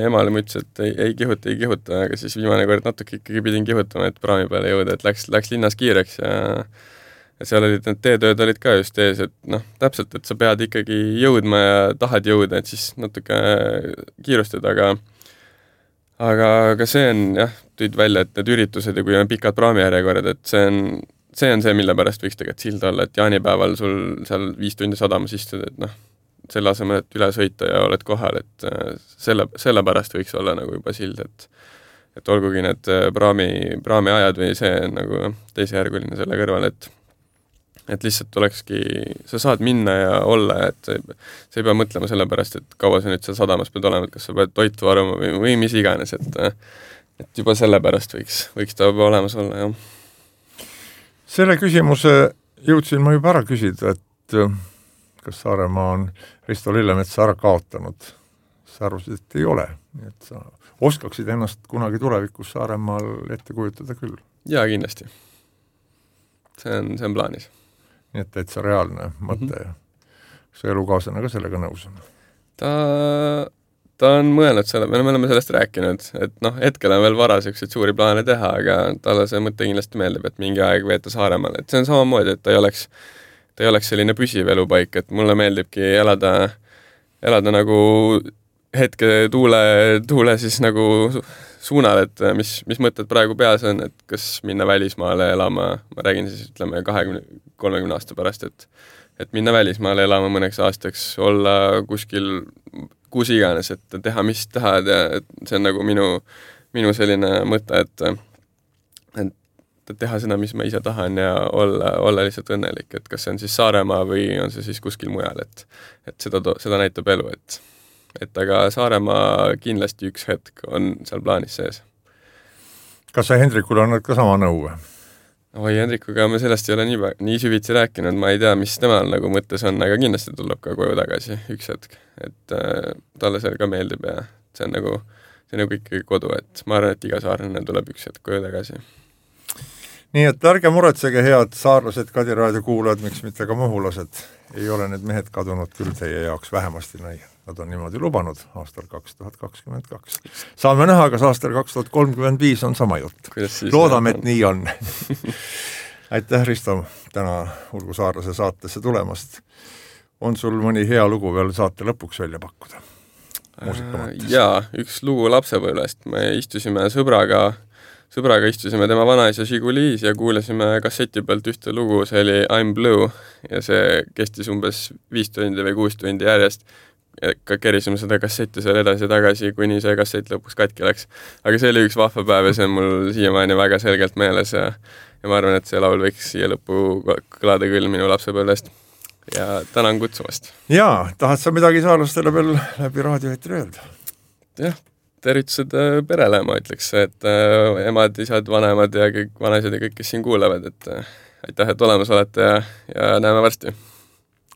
emale ma ütles, et ei, ei kihuta, ei kihuta, aga siis viimane kord natuke ikkagi pidin kihutama, et praami peale jõuda, et läks, läks linnas kiireks ja ja seal olid need teetööd olid ka just ees, et noh, täpselt, et sa pead ikkagi jõudma ja tahad jõuda, et siis natuke kiirustad, aga aga, aga see on jah, tõid välja, et need üritused ja kui on pikad praamijärjekorrad, et see on, see on see, mille pärast võiks tegelikult sild olla, et jaanipäeval sul seal viis tundi sadamas istud, et noh, selle asemel, et üle sõita ja oled kohal, et selle, selle pärast võiks olla nagu juba sild, et et olgugi need praami, praami ajad või see on nagu teisejärguline selle kõrval, et et lihtsalt olekski, sa saad minna ja olla, et sa ei, sa ei pea mõtlema selle pärast, et kaua sa nüüd seal sadamas pead olema, et kas sa pead toitu varuma või, või mis iganes, et, et juba selle pärast võiks, võiks ta juba olemas olla, jah. Selle küsimuse jõudsin ma juba ära küsida, et kas Saaremaa on Risto Lillemetsa ära kaotanud. Sa arvasid, et ei ole, et sa oskaksid ennast kunagi tulevikus Saaremaal ette kujutada küll. Jaa, kindlasti. See on, see on plaanis. Nii et täitsa reaalne mõte mm-hmm. ja kas su elukaaslane ka sellega nõus on? Ta, ta on mõelnud selle, me oleme sellest rääkinud, et noh, hetkel on veel vara selliseid suuri plaane teha, aga talle see mõte kindlasti meeldib, et mingi aeg veeta Saaremaal, et see on samamoodi, et ta ei oleks, ta ei oleks selline püsiv elupaik, et mulle meeldibki elada, elada nagu hetke tuule, tuule siis nagu suunal, et mis, mis mõtted praegu peas on, et kas minna välismaale elama, ma räägin siis ütleme kahekümne, kolmekümne aasta pärast, et, et minna välismaale elama mõneks aastaks, olla kuskil kus iganes, et teha, mis tahad ja see on nagu minu, minu selline mõte, et, et teha seda, mis ma ise tahan ja olla, olla lihtsalt õnnelik, et kas see on siis Saaremaa või on see siis kuskil mujal, et, et seda, seda näitab elu, et, et aga Saaremaa kindlasti üks hetk on seal plaanis sees. Kas sa Hendrikul annad ka sama nõu? Oi, Hendrikuga me sellest ei ole nii, nii süvitsi rääkinud, ma ei tea, mis temal nagu mõttes on, aga kindlasti tuleb ka koju tagasi üks hetk, et äh, talle seal ka meeldib ja see on nagu, see on nagu ikkagi kodu, et ma arvan, et iga saarlane tuleb üks hetk koju tagasi. Nii et ärge muretsege, head saarlased, Kadi raadio kuulajad, miks mitte ka muhulased, ei ole need mehed kadunud küll teie jaoks vähemasti näi. Nad on niimoodi lubanud aastal kaks tuhat kakskümmend kaks. Saame näha, kas aastal kaks tuhat kolmkümmend viis on sama jutt. Loodame, et nii on. Aitäh, Risto, täna Ulgu saarlase saatesse tulemast. On sul mõni hea lugu veel saate lõpuks välja pakkuda? Jaa, üks lugu lapsepõlvest. Me istusime sõbraga Sõbraga istusime tema vanaisa Žigulis ja kuulasime kasseti pealt ühte lugu, see oli I'm Blue ja see kestis umbes viis tundi või kuus tundi järjest. Ka kerisime seda kassetti seal edasi ja tagasi, kuni see kassett lõpuks katki läks. Aga see oli üks vahva päev ja see on mul siiamaani väga selgelt meeles ja, ja ma arvan, et see laul võiks siia lõppu kõlada küll minu lapsepõlvest. Ja tänan kutsumast. Jaa, tahad sa midagi saarlastele veel läbi raadioetri öelda? Jah. Tervitused perele, ma ütleks, et äh, emad, isad, vanemad ja kõik vanaisad ja kõik, kes siin kuulevad, et äh, aitäh, et olemas olete ja, ja näeme varsti.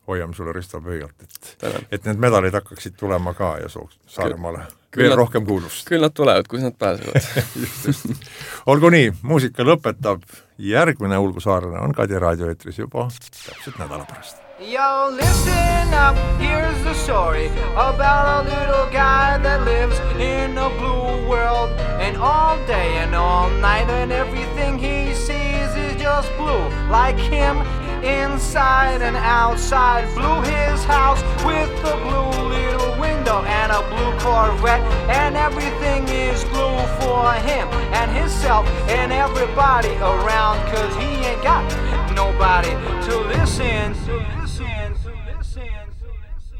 Hoiame sulle Risto pöialt, et, et need medalid hakkaksid tulema ka ja sooks Saaremaale veel nad, rohkem kuulust. Küll nad tulevad, kus nad pääsevad. just, just. Olgu nii, muusika lõpetab, järgmine Ulgu saarlane on Kadi raadioetris juba täpselt nädala pärast. Yo, listen up, here's the story about a little guy that lives in a blue world. And all day and all night and everything he sees is just blue. Like him, inside and outside. Blue his house with a blue little window and a blue Corvette. And everything is blue for him and himself and everybody around. Cause he ain't got nobody to listen to.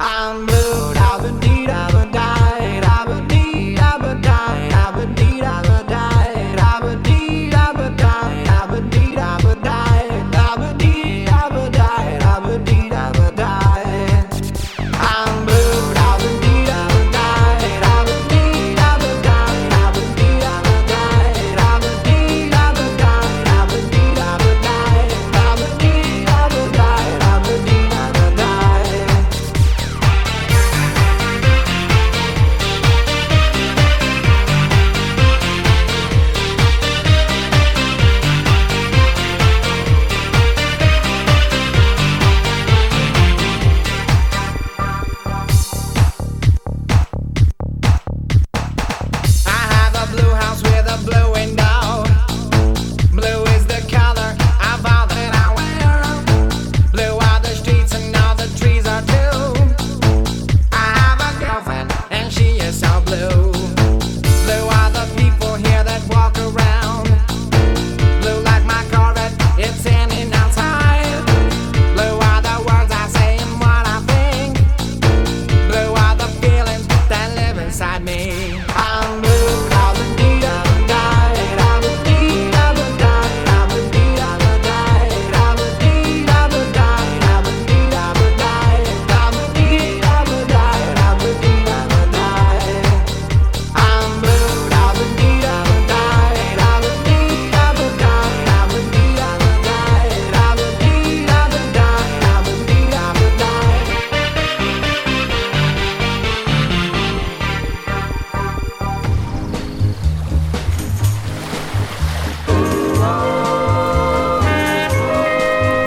I'm blue, da-ba-dee, da-ba-die, da-ba-dee, da-ba-die, da-ba-dee, da-ba-die, da-ba-dee, da-ba-die, da-ba-dee, da-ba-die, da-ba-dee, da-ba-die, da-ba-dee, da-ba-die. I'm blue, da-ba-dee, da-ba-die, da-ba-dee, da-ba-die, da-ba-dee, da-ba-die, da-ba-dee, da-ba-die, da-ba-dee, da-ba-die, da-ba-dee, da-ba-die, da-ba-dee, da-ba-die.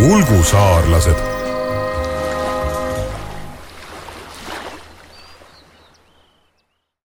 Ulgu saarlased